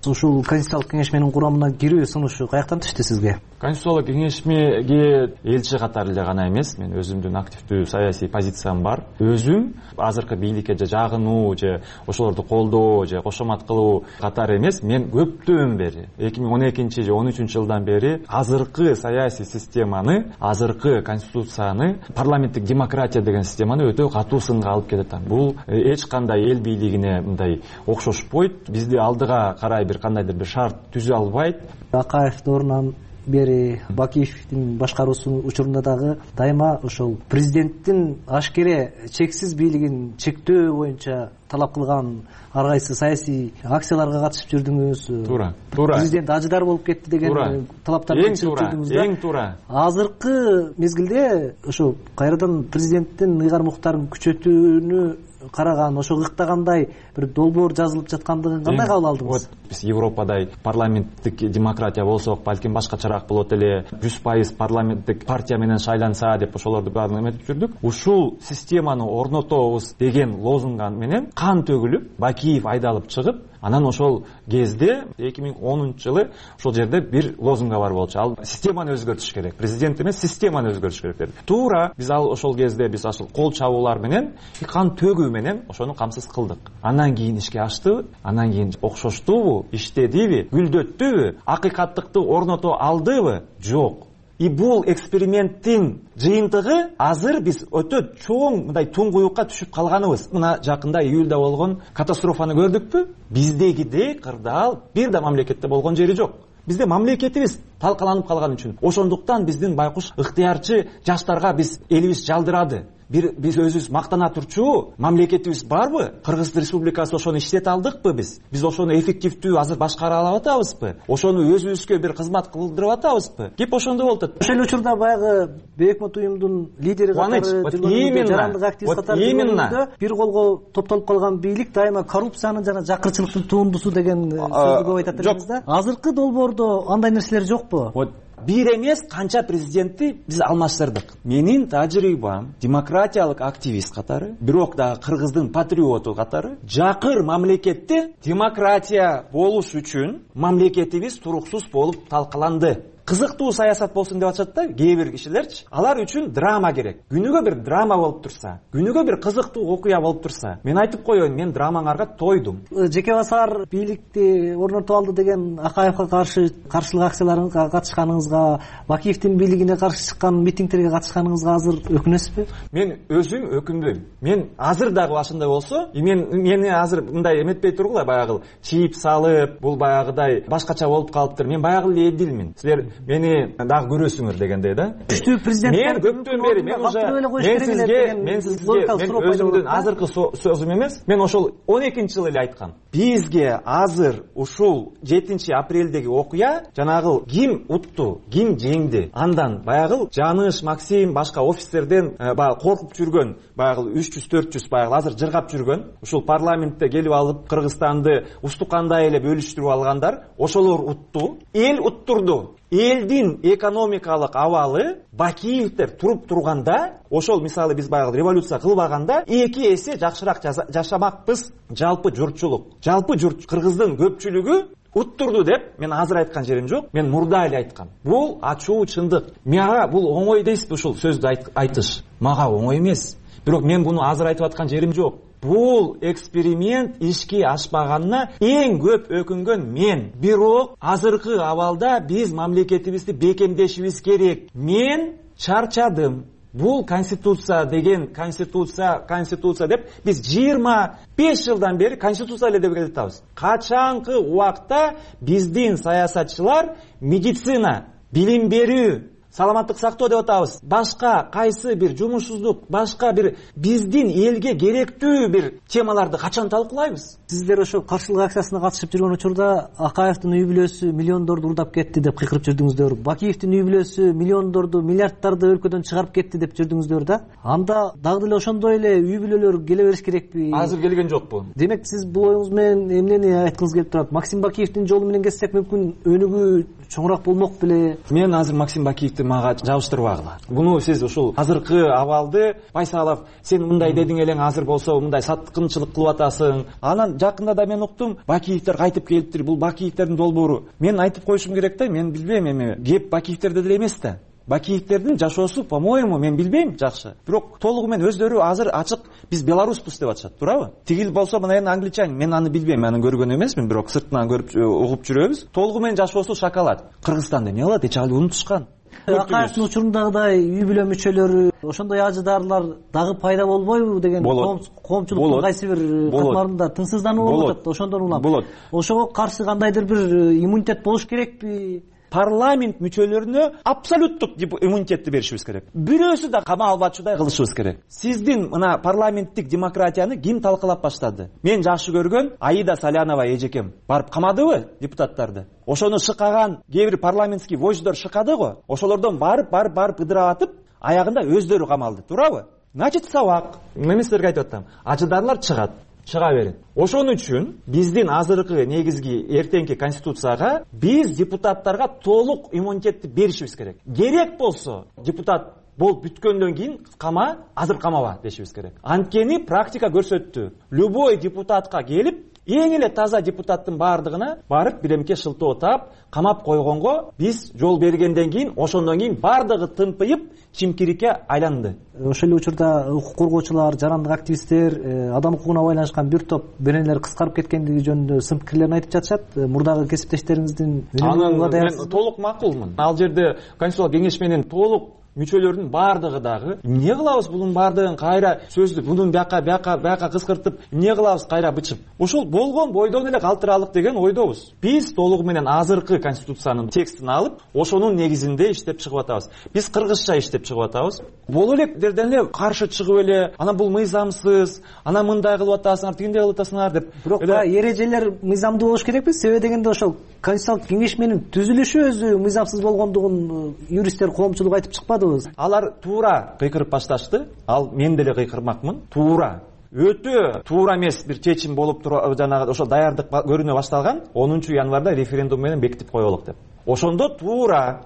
Ушул Конституциялык кеңешменин курамына кирүү сунушу каяктан түштү сизге? Конституциялык кеңешмеге элчи катары эле гана эмес, мен өзүмдүн активдүү саясий позициям бар. Өзүм азыркы бийликке же жагынуу же ошолорду колдоо же кошомат кылуу катары эмес, мен көптөн бери 2012 же 13 жылдан бери азыркы саясий системаны, азыркы конституцияны, парламенттик демократия деген системаны өтө катуу сынга алып келатам. Бул эч кандай эл бийлигине мындай окшошпойт. Бизди алдыга карай бир кандайдыр бир шарт түзө албайт. Акаев доорунан бери Бакиевдин башкаруусунун учурунда дагы дайыма ошол президенттин ашкере чексиз бийлигин чектөө боюнча талап кылган ар кайсы саясий акцияларга катышып жүрдүңүз. Туура. Президент ажыдар болуп кетти деген талаптарды чыгып жүрдүңүз. Эң туура. Азыркы мезгилде ошо кайрадан президенттин ыйгар муктарын күчөтүүнү караган, ошо ыктагандай бир долбоор жазылып жаткандыгын кандай кабыл алдыңыз? Биз Европадай парламенттик демократия болсок, балким башкачараак болот эле, 100% парламенттик партия менен шайланса деп ошолорду баарын эметип жүрдүк. Ушул системаны орнотобуз деген лозунга менен кан төгүлүп, Бакиев айдалып чыгып, анан ошол кезде 2010 жылы ошол жерде бир лозунга бар болчу. Ал системаны өзгөртүш керек. Президент эмес, системаны өзгөртүш керек деди. Туура, биз ал ошол кезде биз ошол кол чабуулар менен, кан төгүү менен ошону камсыз кылдык. Андан кийин ишке аштыбы? Андан кийин окшоштубу? Иштедиби? Гүлдөттүбү? Акыйкаттыкты орното алдыбы? Жок. И бул эксперименттин жыйынтыгы азыр биз өтө чоң мындай туңгуюкка түшүп калганыбыз. Мына жакында июлда болгон катастрофаны көрдүкпү? Биздегидей кырдаал бир да мамлекетте болгон жери жок. Бизде мамлекетибиз талкаланып калган үчүн. Ошондуктан биздин байкуш ыктыярчы жаштарга биз элибиз жалдырады. Биз өзүбүз мактана турчу мамлекетибиз барбы? Кыргыз Республикасы ошону иштете алдыкпы биз? Биз ошону эффективдүү азыр башкара алып атабызбы? Ошону өзүбүзгө бир кызмат кылдырып атабызбы? Кеп ошондой болуп атат. Ошол учурда баягы Бейөкмөт уюмдун лидери катары жүргөн жарандык активист катары жүргөндө бир колго топтолуп калган бийлик дайыма коррупциянын жана жакырчылыктын туындусу деген сөздү көп айтат элебиз да. Азыркы долбоордо андай нерселер жокпу? Бир эмес канча президентти биз алмаштырдык. Менин тажрыйбам демократиялык активист катары, бирок дагы кыргыздын патриоту катары жакыр мамлекетте демократия болуш үчүн мамлекетибиз туруксуз болуп талкаланды. Кызыктуу саясат болсун деп атышат да кээ бир кишилерчи. Алар үчүн драма керек. Күнүгө бир драма болуп турса, күнүгө бир кызыктуу окуя болуп турса, мен айтып коеюн, мен драмаңарга тойдум. Жеке басар бийликти орнотуп алды деген Акаевга каршы каршылык акцияларга катышканыңызга, Бакиевдин бийлигине каршы чыккан митингтерге катышканыңызга азыр өкүнөсүзбү? Мен өзүм өкүнбөйм. Мен азыр дагы башында болсо, мени азыр мындай эметпей тургула, баягы чийип салып, бул баягыдай башкача болуп калыптыр. Мен баягы эле эдилмин. Силер мени дагы көрөсүңөр дегендей да. Күчтүү президент. Мен көптөн бери мен өзүмдүн азыркы сөзүм эмес, мен ошол 12-жылы эле айткам. Бизге азыр ушул 7-апрелдеги окуя жанагы ким утту, ким жеңди. Андан баягы Жаныш, Максим, башка офицерден баягы коркуп жүргөн, баягы 300-400 баягы азыр жыргап жүргөн, ушул парламентте келип алып Кыргызстанды устукандай эле бөлүштүрүп алгандар, ошолор утту. Эл уттурду. элдин экономикалык абалы Бакиевдер туруп турганда, ошол мисалы биз баягы революция кылбаганда 2 эсе жакшыраак жашамакпыз. Жалпы журт кыргыздын көпчүлүгү уттурду деп мен азыр айткан жерим жок. Мен мурда эле айткам. Бул ачуу чындык. Мага бул оңой дейсиз ушул сөздү айтыш. Мага оңой эмес. Бирок мен буну азыр айтып аткан жерим жок. Бул эксперимент ишке ашпаганына эң көп өкүнгөн мен. Бирок азыркы абалда биз мамлекетибизди бекемдешибиз керек. Мен чарчадым. Бул конституция деген конституция деп биз 25 жылдан бери конституция эле деп келатабыз. Качанкы убакта биздин саясатчылар медицина, билим берүү, саламаттык сактоо деп атабыз. Башка кайсы бир жумушсуздук, башка бир биздин элге керектүү бир темаларды качан талкуулайбыз? Сиздер ошо каршылык акциясына катышып жүргөн учурда Акаевдин үй бүлөсү миллиондорду урдап кетти деп кыйкырып жүрдүңүздөр. Бакиевдин үй бүлөсү миллиондорду, миллиардтарды өлкөдөн чыгарып кетти деп жүрдүңүздөр да. Анда дагы деле ошондой эле үй бүлөлөр келе бериш керекпи? Азыр келген жокпу. Демек сиз бул оюңуз менен эмнени айткыңыз келип турат? Максим Бакиевдин жолу менен кетсек мүмкүн өнүгүү чоңураак болмок беле? Мен азыр Максим Бакиевди мага жабыштырбагыла. Буну сиз ушул азыркы абалды Байсалов сен мындай дедиң элең, азыр болсо мындай саткынчылык кылып атасың. Анан жакында да мен уктум, Бакиевдер кайтып келиптир. Бул Бакиевдердин долбоору. Мен айтып коюшум керек да, мен билбейм эми. Кеп Бакиевдерде деле эмес да. Бакиевдердин жашоосу, по-моему, мен билбейм жакшы. Бирок толугу менен өздөрү азыр ачык биз белоруспуз деп атышат, туурабы? Тигил болсо мына эми англичанин, мен аны билбейм, аны көргөн эмесмин, бирок сыртынан көрүп угуп жүрөбүз. Толугу менен жашоосу шоколад. Кыргызстанда эмне кылат? Эч алы унутушкан. Акаевдин учурундагыдай үй бүлө мүчөлөрү, ошондой ажыдаарлар дагы пайда болбойбу деген коомчулуктун кайсы бир катмарында тынчсыздануу болуп атат. Ошондон улам ошого каршы кандайдыр бир иммунитет болуш керекпи? Парламент мүчөлөрүнө абсолюттук иммунитетти беришибиз керек. Бирөөсү да кама албачудай кылышыбыз керек. Сиздин мына парламенттик демократияны ким талкалап баштады? Мен жакшы көргөн Аида Салянова эжекем барып камадыбы депутаттарды? Ошону шыкаган кээ бир парламентский вождьдор шыкады го. Ошолордон барып ыдырап атып, аягында өздөрү камалды, туурабы? Значит, сабак. Мен силерге айтып атам. Ажыдарлар чыга берет. Ошон үчүн биздин азыркы негизги эртеңки конституцияга биз депутаттарга толук иммунитетти беришибиз керек. Керек болсо депутат болуп бүткөндөн кийин азыр камаба дешибиз керек. Анткени практика көрсөттү. Любой депутатка келип, эң эле таза депутаттын баардыгына барып биремке шылтоо таап, камап койгонго биз жол бергенден кийин, ошондон кийин баардыгы тымпыйып, чимкирикке айланды. Ошол эле учурда укук коргоочулар, жарандык активисттер, адам укугуна байланышкан бир топ беренелер кыскарып кеткендиги жөнүндө сын пикирлерин айтып жатышат. Мурдагы кесиптештериңиздин мен толук макулмун. Ал жерде Конституциялык кеңеш менен толук мүчөлөрдүн баардыгы дагы эмне кылабыз бунун баардыгын кайра сөздү бунун бияка кыскыртып эмне кылабыз кайра бычып. Ошол болгон бойдон эле калтыралык деген ойдобуз. Биз толугу менен азыркы конституциянын текстин алып, ошонун негизинде иштеп чыгып атабыз. Биз кыргызча иштеп чыгып атабыз. Боло электерден эле каршы чыгып эле, анан бул мыйзамсыз, анан мындай кылып атасыңар, тигиндей кылып атасыңар деп. Бирок эрежелер мыйзамдуу болуш керекпи? Себеби дегенде ошол Конституциялык кеңеш менен түзүлүшү өзү мыйзамсыз болгондугун юристтер, коомчулук айтып чыкпады. Алар туура кыйкырып башташты. Ал мен деле кыйкырмакмын. Туура. Өтө туура эмес бир чечим болуп жанагы ошо даярдык көрүнө башталган 10 январда референдум менен бекитип коелук деп. Ошондо туура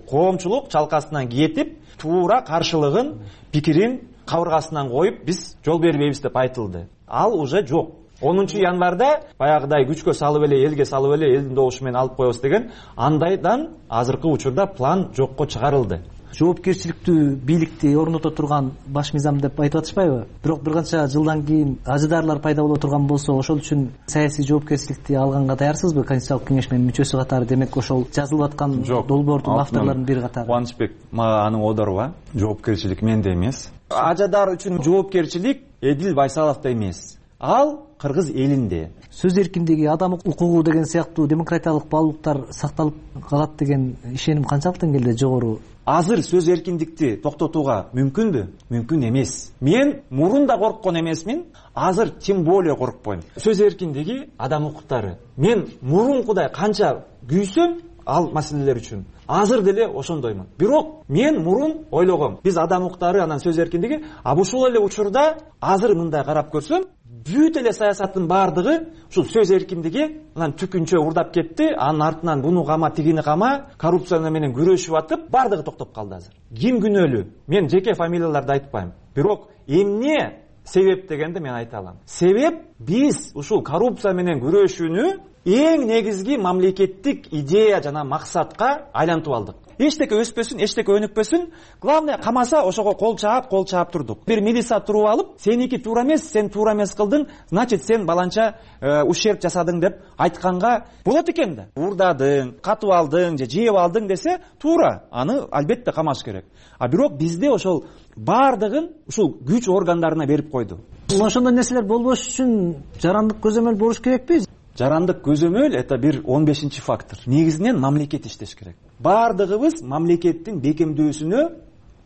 коомчулук чалкасынан кетип, туура каршылыгын, пикирин кабыргасынан коюп, биз жол бербейбиз деп айтылды. Ал уже жок. 10 январда баягыдай күчкө салып эле, элге салып эле, элдин добушу менен алып коебуз деген андайдан азыркы учурда план жокко чыгарылды. Жоопкерчиликтүү бийликти орното турган баш мыйзам деп айтып атышпайбы? Бирок бир канча жылдан кийин ажыдаарлар пайда боло турган болсо, ошол үчүн саясий жоопкерчиликти алганга даярсызбы Конституциялык кеңеш менен мүчөсү катары? Демек ошол жазылып аткан долбоордун авторлорунун бири катары. Кубанычбек мага аны оодорба. Жоопкерчилик менде эмес. Ажыдар үчүн жоопкерчилик Эдил Байсаловдо эмес. Ал кыргыз элинде. Сөз эркиндиги, адам укугу деген сыяктуу демократиялык баалуулуктар сакталып калат деген ишеним канчалык деңгээлде жогору? Азыр сөз эркиндикти токтотууга мүмкүнбү? Мүмкүн эмес. Мен мурун да корккон эмесмин, азыр тем более коркпойм. Сөз эркиндиги, адам укуктары. Мен мурункудай канча күйсөм, ал маселелер үчүн. Азыр деле ошондоймун. Бирок мен мурун ойлогом, биз адам укуктары, анан сөз эркиндиги, ушул эле учурда азыр мындай карап көрсөм, бүт эле саясаттын баардыгы ушул сөз эркиндиги анан түкүнчө урдап кетти, анын артынан буну кама, тигини кама, коррупция менен күрөшүп атып, баардыгы токтоп калды азыр. Ким күнөөлүү? Мен жеке фамилияларды айтпайм. Бирок эмне себеп дегенди мен айта алам. Себеп биз ушул коррупция менен күрөшүүнү эң негизги мамлекеттик идея жана максатка айлантып алдык. Эчтеке өспөсүн, эчтеке өнүкпөсүн, главное камаса ошого кол чаап турдук. Бир милиция туруп алып, сеники туура эмес, сен туура эмес кылдың, значит сен баланча ущерб жасадың деп айтканга болот экен да. Урдадың, катып алдың, же жеп алдың десе туура, аны албетте камаш керек. А бирок бизде ошол баардыгын ушул күч органдарына берип койду. Ошондой нерселер болбош үчүн жарандык көзөмөл болуш керекпи? Жарандык көзөмөл это бир 15 фактор. Негизинен мамлекет иштеш керек. Баардыгыбыз мамлекеттин бекемдөөсүнө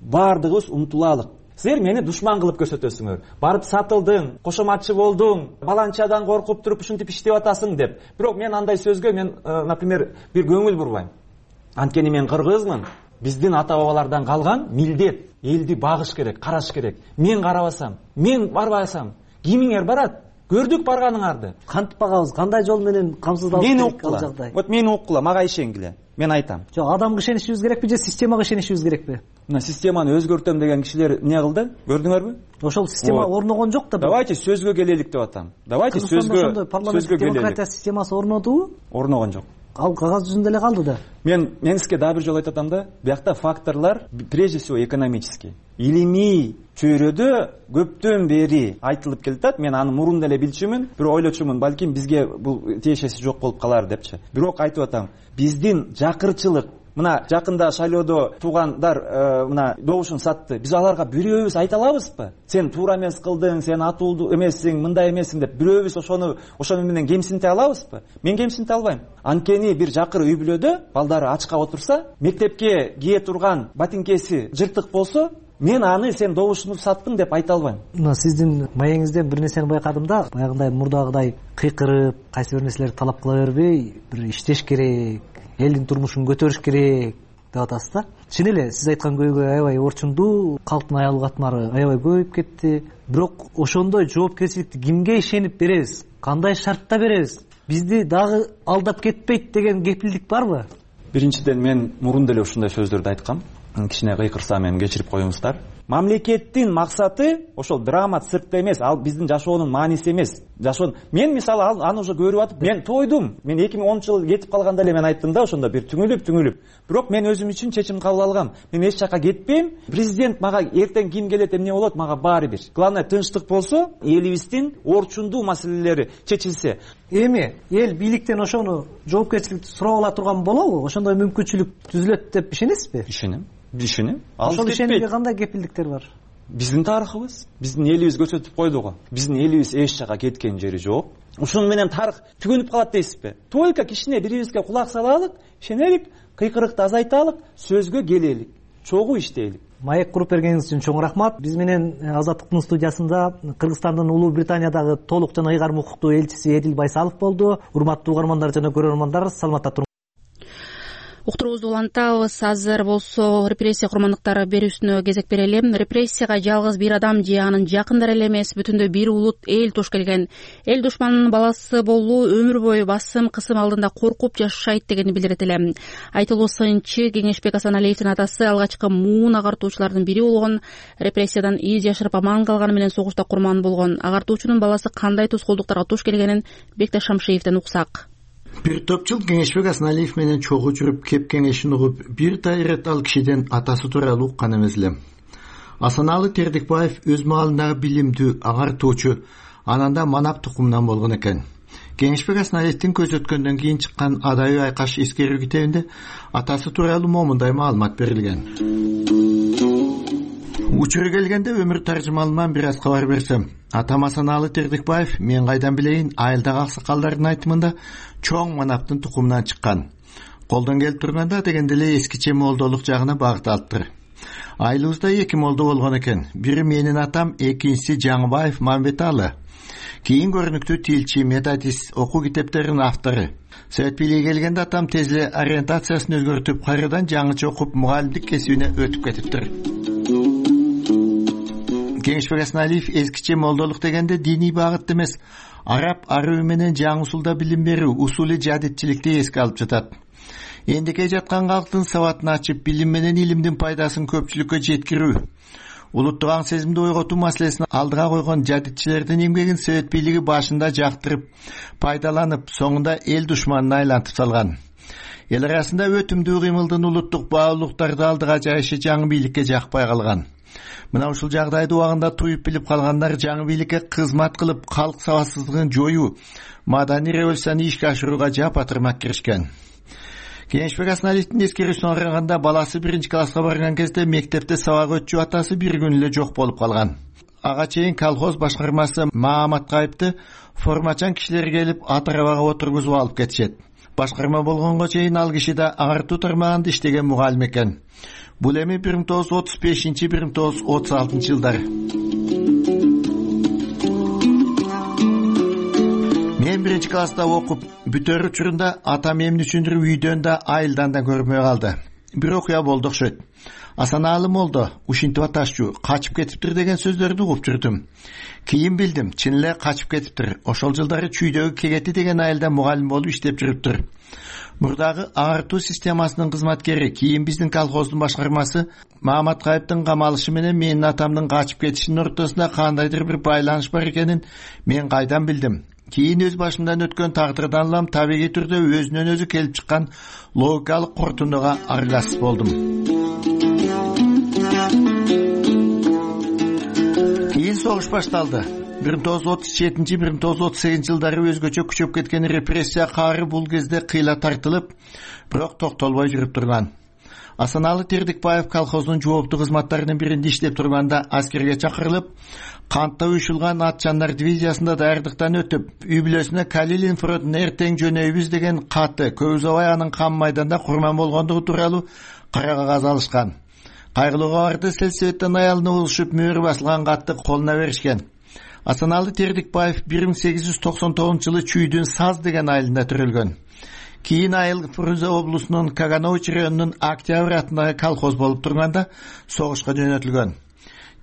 баардыгыбыз умтулалык. Силер мени душман кылып көрсөтөсүңөр. Барып сатылдың, кошоматчы болдуң, баланчадан коркуп туруп ушинтип иштеп атасың деп. Бирок мен андай сөзгө например, бир көңүл бурбайм. Анткени мен кыргызмын. Биздин ата бабалардан калган милдет, элди багыш керек, караш керек. Мен карабасам, мен барбасам, кимиңер барат? Көрдүк барганыңарды. Кантип багабыз? Кандай жол менен камсыздалыш керек ал жагдай? Вот мени уккула, мага ишенгиле. Мен айтам. Жок, адамга ишенишибиз керекпи же системага ишенишибиз керекпи? Мына системаны өзгөртөм деген кишилер эмне кылды? Көрдүңөрбү? Ошол система орногон жок да. Давайте сөзгө келелик деп атам. Давайте сөзгө келелик. Демократия системасы орнодубу? Орногон жок. Ал кагаз жүзүндө эле калды да. Мен сизге дагы бир жолу айтып атам да, биякта факторлор прежде всего экономический. Илимий чөйрөдө көптөн бери айтылып келатат. Мен аны мурун деле билчүмүн, бирок ойлочумун, балким бизге бул тиешеси жок болуп калар депчи. Бирок айтып атам, биздин жакырчылык, мына жакында шайлоодо туугандар мына добушун сатты. Биз аларга бирөөбүз айта алабызбы? Сен туура эмес кылдың, сен атуулду эмессиң, мындай эмессиң деп бирөөбүз ошону менен кемсинте алабызбы? Мен кемсинте албайм. Анткени бир жакыр үй бүлөдө балдары ачка отурса, мектепке кие турган ботинкеси жыртык болсо, мен аны сен добушуну саттың деп айта албайм. Мына сиздин маегиңизден бир нерсени байкадым да, баягындай мурдагыдай кыйкырып, кайсы бир нерселерди талап кыла бербей, бир иштеш керек, элдин турмушун көтөрүш керек деп атасыз да. Чын эле сиз айткан көйгөй аябай орчундуу, калктын аялуу катмары аябай көбөйүп кетти. Бирок ошондой жоопкерчиликти кимге ишенип беребиз? Кандай шартта беребиз? Бизди дагы алдап кетпейт деген кепилдик барбы? Биринчиден мен мурун деле ушундай сөздөрдү айткам. Кичине кыйкырсам эми кечирип коюңуздар. Мамлекеттин максаты ошол драма циркте эмес, ал биздин жашоонун мааниси эмес. Мен мисалы аны уже көрүп атып, мен тойдум. Мен 2010-жылы кетип калганда эле мен айттым да, ошондо бир түңүлүп. Бирок мен өзүм үчүн чечим кабыл алгам. Мен эч жака кетпейм. Президент мага эртең ким келет, эмне болот, мага баары бир. Главное тынчтык болсо, элибиздин орчундуу маселелери чечилсе. Эми эл бийликтен ошону жоопкерчиликти сурап ала турган болобу? Ошондой мүмкүнчүлүк түзүлөт деп ишенесизби? Ишенем. Ошол ишенимге кандай кепилдиктер бар? Биздин тарыхыбыз, биздин элибиз көрсөтүп койду го. Биздин элибиз эч жака кеткен жери жок. Ушуну менен тарых түгөнүп калат дейсизби? Только кичине бирибизге кулак салалык, ишенелик, кыйкырыкты азайталык, сөзгө келелик, чогуу иштейлик. Маек куруп бергениңиз үчүн чоң рахмат. Биз менен Азаттыктын студиясында Кыргызстандын Улуу Британиядагы толук жана ыйгарым укуктуу элчиси Эдил Байсалов болду. Урматтуу угармандар жана көрөрмандар, саламатта туруңуздар. Уктуруубузду улантабыз. Азыр болсо репрессия курмандыктары берүүсүнө кезек берели. Репрессияга жалгыз бир адам же анын жакындары эле эмес, бүтүндөй бир улут эл туш келген. Эл душманынын баласы болуу өмүр бою басым, кысым алдында коркуп жашайт дегени билдирет эле. Айтылуу сынчы Кеңешбек Асаналиевдин атасы алгачкы муун агартуучулардын бири болгон. Репрессиядан из жашырып аман калганы менен согушта курман болгон агартуучунун баласы кандай тускоолдуктарга туш келгенин Бекташ Шамшиевден уксак. Бир топ жыл Кеңешбек Асаналиев менен чогуу жүрүп, кеп кеңешин угуп, бир да ирет ал кишиден атасы тууралуу уккан эмес элем. Асаналы Тердикбаев өз маалындагы билимдүү агартуучу, ананда манап тукумунан болгон экен. Кеңешбек Асаналиевдин көз өткөндөн кийин чыккан Адайы айкаш эскерүү китебинде атасы тууралуу момундай маалымат берилген. Учуру келгенде өмүр таржымалынан бир аз кабар берсем, атам Асаналы Тердикбаев мен кайдан билейин, айылдагы аксакалдардын айтымында чоң манаптын тукумунан чыккан. Колдон келип турганда дегенде эле эскиче молдолук жагына багыт алыптыр. Айылыбызда 2 молдо болгон экен. Бири менин атам, экинчиси Жаңыбаев Мамбеталы. Кийин көрүнүктүү тилчи, методист, окуу китептеринин автору. Совет бийлиги келгенде атам тез эле ориентациясын өзгөртүп, кайрадан жаңыча окуп, мугалимдик кесибине өтүп кетиптир. Кеңешбек Асаналиев эскиче молдолук дегенде диний багытты эмес, араб арыбы менен жаңы усулда билим берүү, усули жадитчиликти эске алып жатат. Эндике жаткан калктын сабатын ачып, билим менен илимдин пайдасын көпчүлүккө жеткирүү, улуттук аң сезимди ойготуу маселесин алдыга койгон жадитчилердин эмгегин Совет бийлиги башында жактырып, пайдаланып, соңунда эл душманына айлантып салган. Эл арасында өтүмдүү кыймылдын улуттук баалуулуктарды алдыга жайышы жаңы бийликке жакпай калган. Мына ушул жагдайды убагында туюп билип калгандар жаңы бийликке кызмат кылып, калк сабатсыздыгын жоюу, маданий революцияны ишке ашырууга жапа-тырмак киришкен. Кеңешбек Асаналиевдин эскерүүсүнө караганда, баласы 1-класска барган кезде мектепте сабак өтчү атасы bir күн эле жок болуп калган. Ага чейин колхоз башкармасы Мааматкайыпты формачан кишилер келип ат арабага отургузуп алып кетишет. Башкарма болгонго чейин ал киши да агартуу тармагында иштеген мугалим экен. Бул эми 1935-1936 жылдары. Мен 1-класста окуп бүтөр учурунда атам эмне үчүндүр үйдөн да айылдан да көрмөй калды. Бир окуя болду окшойт. Асанаалы молдо, ушинтип аташчу, качып кетиптир деген сөздөрдү угуп жүрдүм. Кийин билдим, чын эле качып кетиптир. Ошол жылдары Чүйдөгү Кегети деген айылда мугалим болуп иштеп жүрүптүр. Мурдагы агартуу системасынын кызматкери, кийин биздин колхоздун башкармасы Мааматкайыптын камалышы менен менин атамдын качып кетишинин ортосунда кандайдыр бир байланыш бар экенин мен кайдан билдим. Кийин өз башымдан өткөн тагдырдан улам табигый түрдө өзүнөн өзү келип чыккан логикалык корутундуга араласып болдум. Кийин согуш башталды. 1937-1938 жылдары өзгөчө күчөп кеткен репрессия каары бул кезде кыйла тартылып, бирок токтолбой жүрүп турган. Асанаалы Тердикбаев колхоздун жооптуу кызматтарынын биринде иштеп турганда аскерге чакырылып, кантта уюшулган атчандар дивизиясында даярдыктан өтүп, үй бүлөсүнө Калилин фронтуна эртең жөнөйбүз деген катты көп убай анын кам майданда курман болгондугу тууралуу кара кагаз алышкан. Кайгылуу кабарды Сельсоветтен аялына угушуп мөөрү басылган катты колуна беришкен. Асанаалы Тердикбаев 1899 жылы Чүйдүн Саз деген айылында төрөлгөн. Кийин айыл Фрунзе облусунун Каганович районунун Октябрь атындагы колхоз болуп турганда согушка жөнөтүлгөн.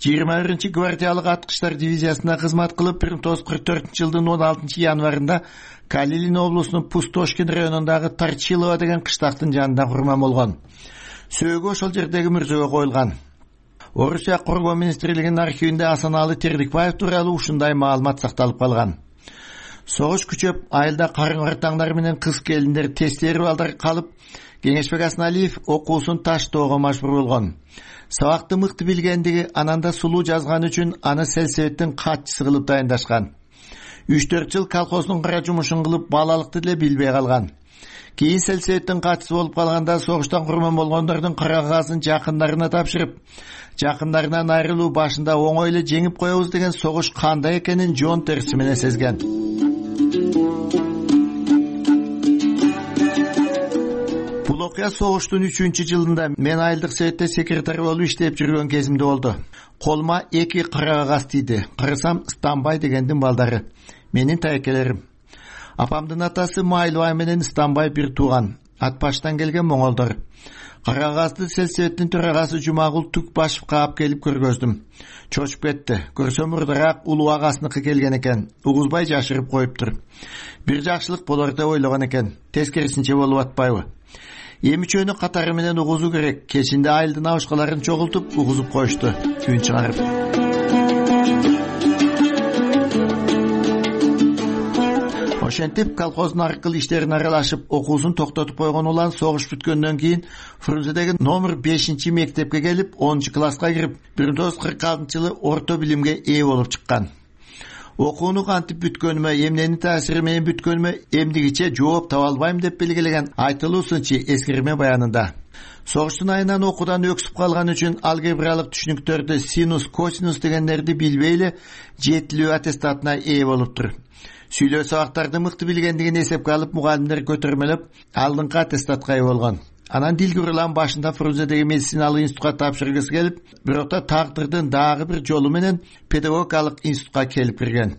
21-гвардиялык аткычтар дивизиясына кызмат кылып 1944 жылдын 16 январында Калилин облусунун Пустошкин районундагы Торчилово деген кыштактын жанында курман болгон. Сөөгү ошол жердеги мүрзөгө коюлган. Орусия Коргоо министрлигинин архивинде Асанаалы Тердикбаев тууралуу ушундай маалымат сакталып калган. Согуш күчөп, айылда карың-картаңдар менен кыз келиндер тестери балдар калып, Кеңешбек Асаналиев окуусун таштоого мажбур болгон. Сабакты мыкты билгендиги, ананда сулуу жазган үчүн аны Сельсоветтин катчысы кылып дайындашкан. 3-4 жыл колхоздун кара жумушун кылып, балалыкты деле билбей калган. Кийин Сельсоветтин катчысы болуп калганда согуштан курман болгондордун кара кагазын жакындарына тапшырып, жакындарынан айрылуу башында оңой эле жеңип коебуз деген согуш кандай экенин жон терси менен сезген. Бул окуя согуштун 3-жылында мен айылдык советте секретарь болуп иштеп жүргөн кезимде болду. Колума 2 кара кагаз тийди. Карасам Станбай дегендин балдары. Менин тайкелерим. Апамдын атасы Майлыбай менен Станбай бир тууган. Ат баштан келген моңолдор. Кара кагазды Сельсоветтин төрагасы Жумагул Түкбашевге алып келип көргөздүм. Чочуп кетти. Көрсөм мурдараак улуу агасыныкы келген экен. Угузбай жашырып коюптур. Бир жакшылык болор деп ойлогон экен. Тескерисинче болуп атпайбы? Эмичөнү катары менен угузуу керек. Кечинде айылдын абышкаларын чогултуп угузуп коюшту. Үн чыгарып. Ошентип колхоздун аркылуу иштерине аралашып, окуусун токтотуп койгон улан согуш бүткөндөн кийин Фрунзедеги номер 5-мектепке келип, 10-класска кирип, 1946-жылы орто билимге ээ болуп чыккан. Окууну кантип бүткөнүмө, эмненин таасири менен бүткөнүмө эмдигиче жооп таба албайм деп белгилеген айтылуу сынчы эскерме баянында. Согуштун айынан окуудан өксүп калган үчүн алгебралык түшүнүктөрдү синус, косинус дегендерди билбей эле жетилүү аттестатына ээ болуптур. Сүйлөө сабактарды мыкты билгендигин эсепке алып, мугалимдер көтөрмөлөп, алдыңкы аттестатка ээ болгон. Анан Дилгүрүлан башында Фрунзедеги медициналык институтка тапшыргысы келип, бирок да тагдырдын дагы бир жолу менен педагогикалык институтка келип кирген.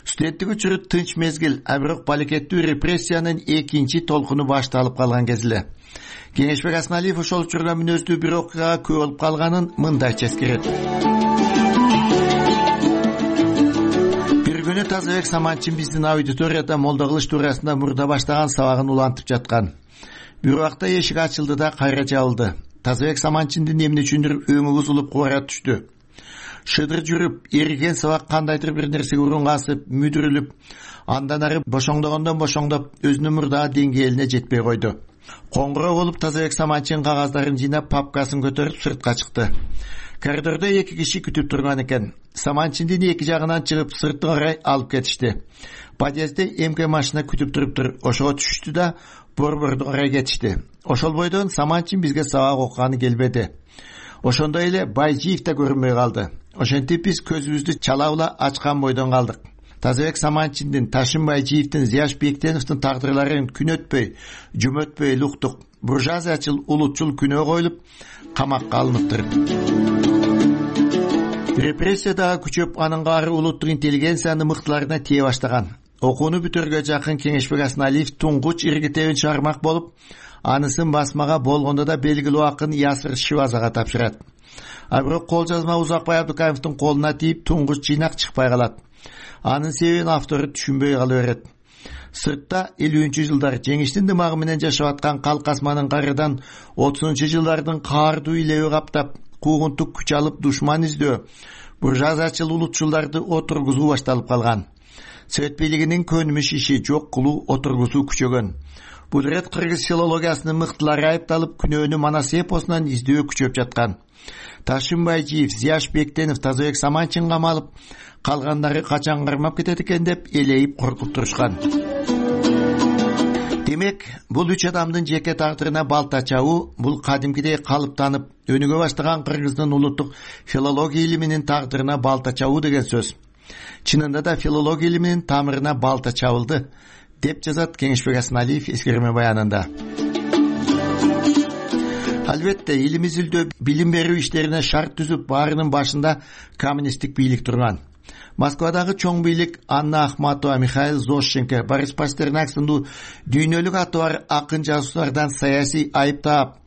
Студенттик учуру тынч мезгил, бирок балекеттүү репрессиянын экинчи толкуну башталып калган кез эле. Кеңешбек Асаналиев ошол учурда мүнөздүү бир окуяга күбө болуп калганын мындайча эскерет. Бир күнү Тазабек Саманчин биздин аудиторияда молдо кылыш туурасында мурда баштаган сабагын улантып жаткан. Бир убакта эшик ачылды да кайра жабылды. Тазабек Саманчиндин эмне үчүндүр өңү бузулуп кубара түштү. Шыдыр жүрүп, эриген сабак кандайдыр бир нерсеге урунгасып, мүдүрүлүп, андан ары бошоңдогондон бошоңдоп, өзүнүн мурдагы деңгээлине жетпей койду. Коңгуроо болуп Тазабек Саманчин кагаздарын жыйнап, папкасын көтөрүп сыртка чыкты. Коридордо эки киши күтүп турган экен. Саманчиндин эки жагынан чыгып, сыртка карай алып кетишти. Подъездде МК машина күтүп туруптур. Ошого түшүштү да борборду карай кетишти. Ошол бойдон Саманчин бизге сабак окуганы келбеди. Ошондой эле Байжиев да көрүнбөй калды. Ошентип биз көзүбүздү чалабыла ачкан бойдон калдык. Тазабек Саманчиндин, Ташын Байжиевдин, Зияш Бектеновдун тагдырларын күн өтпөй, жум өтпөй уктук. Буржуазиячыл, улутчул күнөө коюлуп, камакка алыныптыр. Репрессия дагы күчөп, анын каары улуттук интеллигенциянын мыктыларына тие баштаган. Окууну бүтөргө жакын Кеңешбек Асаналиев туңгуч иргитебин чыгармак болуп, анысын басмага болгондо да белгилүү акын Ясыр Шивазага тапшырат. Бирок кол жазма Узакбай Абдыкаевдин колуна тийип, туңгуч жыйнак чыкпай калат. Анын себебин автору түшүнбөй кала берет. Сыртта 50-жылдар жеңиштин дымагы менен жашап аткан Калкасманын карыдан 30-жылдардын каардуу илеби каптап, куугунтук күч алып душман издөө, буржуазиячыл улутчулдарды отургузуу башталып калган. Совет бийлигинин көнүмүш иши жок кылуу, отургузуу күчөгөн. Бул ирет кыргыз филологиясынын мыктылары айыпталып, күнөөнү Манас эпосунан издөө күчөп жаткан. Ташын Байжиев, Зияш Бектенов, Тазабек Саманчин камалып, калгандары качан кармап кетет экен деп элейип коркуп турушкан. Демек, бул үч адамдын жеке тагдырына балта чабуу, бул кадимкидей калыптанып, өнүгө баштаган кыргыздын улуттук филология илиминин тагдырына балта чабуу деген сөз. Чынында да филология илиминин тамырына балта чабылды, деп жазат Кеңешбек Асаналиев эскерме баянында. Албетте, элimiz үлдө билим берүү иштерине шарт түзүп, баарынын башында коммунисттик бийлик турган. Москвадагы чоң бийлик Анна Ахматова, Михаил Зощенко, Борис Пастернак сындуу дүйнөлүк аты бар акын жазуучулардан саясий айып таап,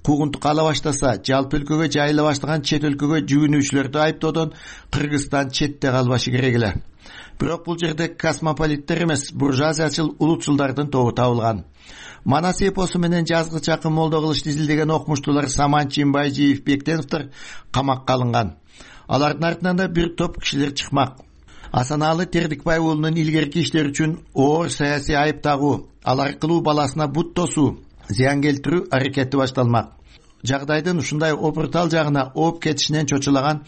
куугунтук ала баштаса, жалпы өлкөгө жайыла баштаган чет өлкөгө жүгүнүүчүлөрдү айыптоодон Кыргызстан четте калбашы керек эле. Бирок бул жерде космополиттер эмес, буржуазиячыл улутчулдардын тобу табылган. Манас эпосу менен жазгыч акын молдо кылыш изилдеген окумуштуулар Саманчин, Байжиев, Бектеновдор камакка алынган. Алардын артынан да бир топ кишилер чыкмак. Асаналы Тердикбай уулунун илгерки иштери үчүн оор саясий айып тагуу, ал аркылуу баласына бут тосуу, зыян келтирүү аракети башталмак. Жагдайдын ушундай опуртал жагына ооп кетишинен чочулаган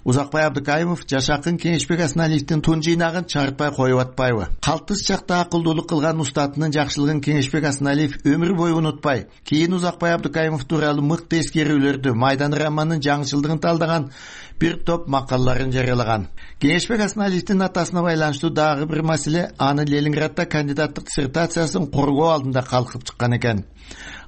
Узакбай Абдыкаимов жашакын Кеңешбек Асаналиевдин тун жыйнагын чарытпай коюп атпайбы? Калтыс чакта акылдуулук кылган устатынын жакшылыгын Кеңешбек Асаналиев өмүр бою унутпай, кийин Узакбай Абдыкаимов тууралуу мыкты эскерүүлөрдү, Майдан романынын жаңычылдыгын талдаган бир топ макалаларын жарыялаган. Кеңешбек Асаналиевдин атасына байланыштуу дагы бир маселе анын Ленинградда кандидаттык диссертациясын коргоо алдында калкып чыккан экен.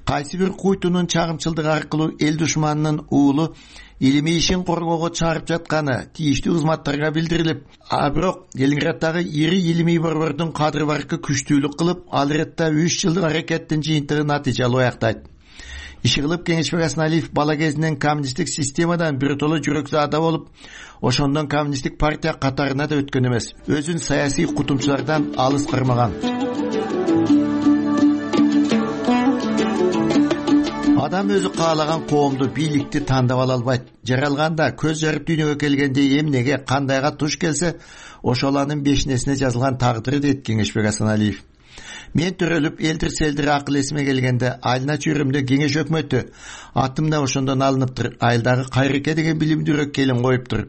Кайсы бир куйтунун чагымчылдыгы аркылуу эл душманынын уулу илимий ишин коргоого чыгарып жатканы тийиштүү кызматтарга билдирилип, бирок Ленинграддагы ири илимий борбордун кадыр баркы күчтүүлүк кылып, ал иретте 3 жылдык аракеттин жыйынтыгы натыйжалуу аяктайт. Иши кылып Кеңешбек Асаналиев бала кезинен коммунисттик системадан биротоло жүрөксү ада болуп, ошондон коммунисттик партия катарына да өткөн эмес. Өзүн саясий кутумчулардан алыс кармаган. Адам өзү каалаган коомду, бийликти тандап ала албайт. Жаралганда, көз жарып дүйнөгө келгенде эмнеге, кандайга туш келсе, ошол анын бешинесине жазылган тагдыры дейт Кеңешбек Асаналиев. Мен төрөлүп, элдир-селдир акыл эсиме келгенде, айылына чүйрөмдө кеңеш өкмөтү, атым да ошондон алыныптыр. Айылдагы Кайрыке деген билимдүүрөөк келин коюптур.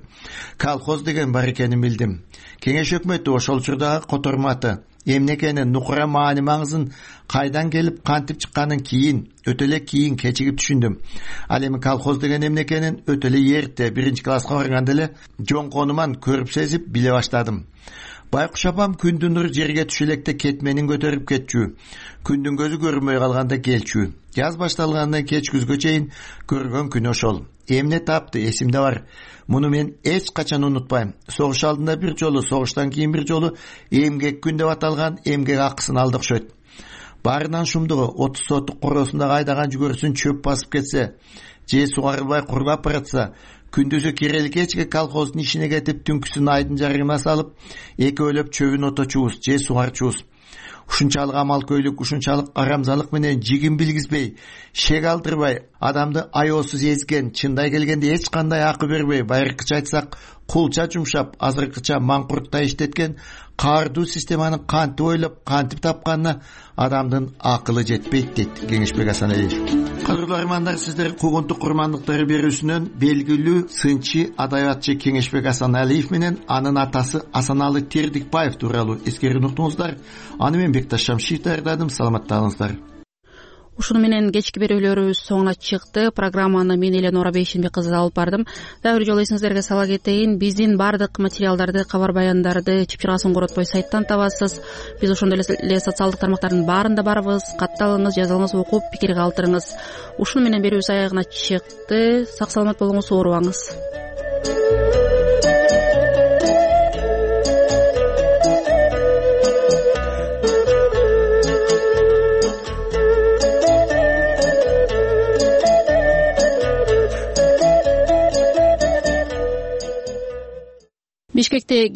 Колхоз деген бар экенин билдим. Кеңеш өкмөтү ошол учурдагы которматы, эмне экенин, нукура маани маңызын, кайдан келип кантип чыкканын кийин, өтө эле кийин кечигип түшүндүм. Ал эми колхоз деген эмне экенин өтө эле эрте, 1-класска барганда эле жон конуман көрүп сезип биле баштадым. Байкуш апам күндүн нуру жерге түшө электе кетменин көтөрүп кетчү. Күндүн көзү көрүнбөй калганда келчү. Жаз башталгандан кеч күзгө чейин көргөн күн ошол. Эмне тапты эсимде бар. Муну мен эч качан унутпайм. Согуш алдында бир жолу, согуштан кийин бир жолу эмгек күн деп аталган эмгек акысын алды окшойт. Баарынан шумдугу 30 соттук короосундагы айдаган жүгөрүсүн чөп басып кетсе, же сугарылбай курулап баратса, күндүзү кирели кечке колхоздун ишине кетип, түнкүсүн айдын жарыгына салып, экөөлөп чөбүн оточубуз же сугарчубуз. Ушунчалык амалкөйлүк, ушунчалык арамзалык менен жигин билгизбей, шек алдырбай, адамды аyoосуз эзген, чындай келгенде эч кандай акы бербей, байыркыча айтсак, кулча жумшап, азыркыча маңкурттай иштеткен каардуу системаны кантип ойлоп, кантип тапканына адамдын акылы жетпейт, дейт Кеңешбек Асаналиев. Кадырлуу армандар, сиздер куугунтук курмандыктары берүүсүнөн белгилүү сынчы адабиятчы Кеңешбек Асаналиев менен анын атасы Асаналы Тердикбаев тууралуу эскерүүнү уктуңуздар. Аны мен Бекташ Шамшиев даярдадым. Саламаттаңыздар. Ушуну менен кечки берүүлөрүбүз соңуна чыкты. Программаны мен Эленора Бейшенбек кызы алып бардым. Дагы бир жолу эсиңиздерге сала кетейин. Биздин баардык материалдарды, кабар баяндарды чыпчыргасын коротпой сайттан табасыз. Биз ошондой эле социалдык тармактардын баарында барбыз. Катталыңыз, жазылыңыз, окуп пикир калтырыңыз. Ушуну менен берүүбүз аягына чыкты. Сак саламат болуңуз, оорубаңыз. Бишкекте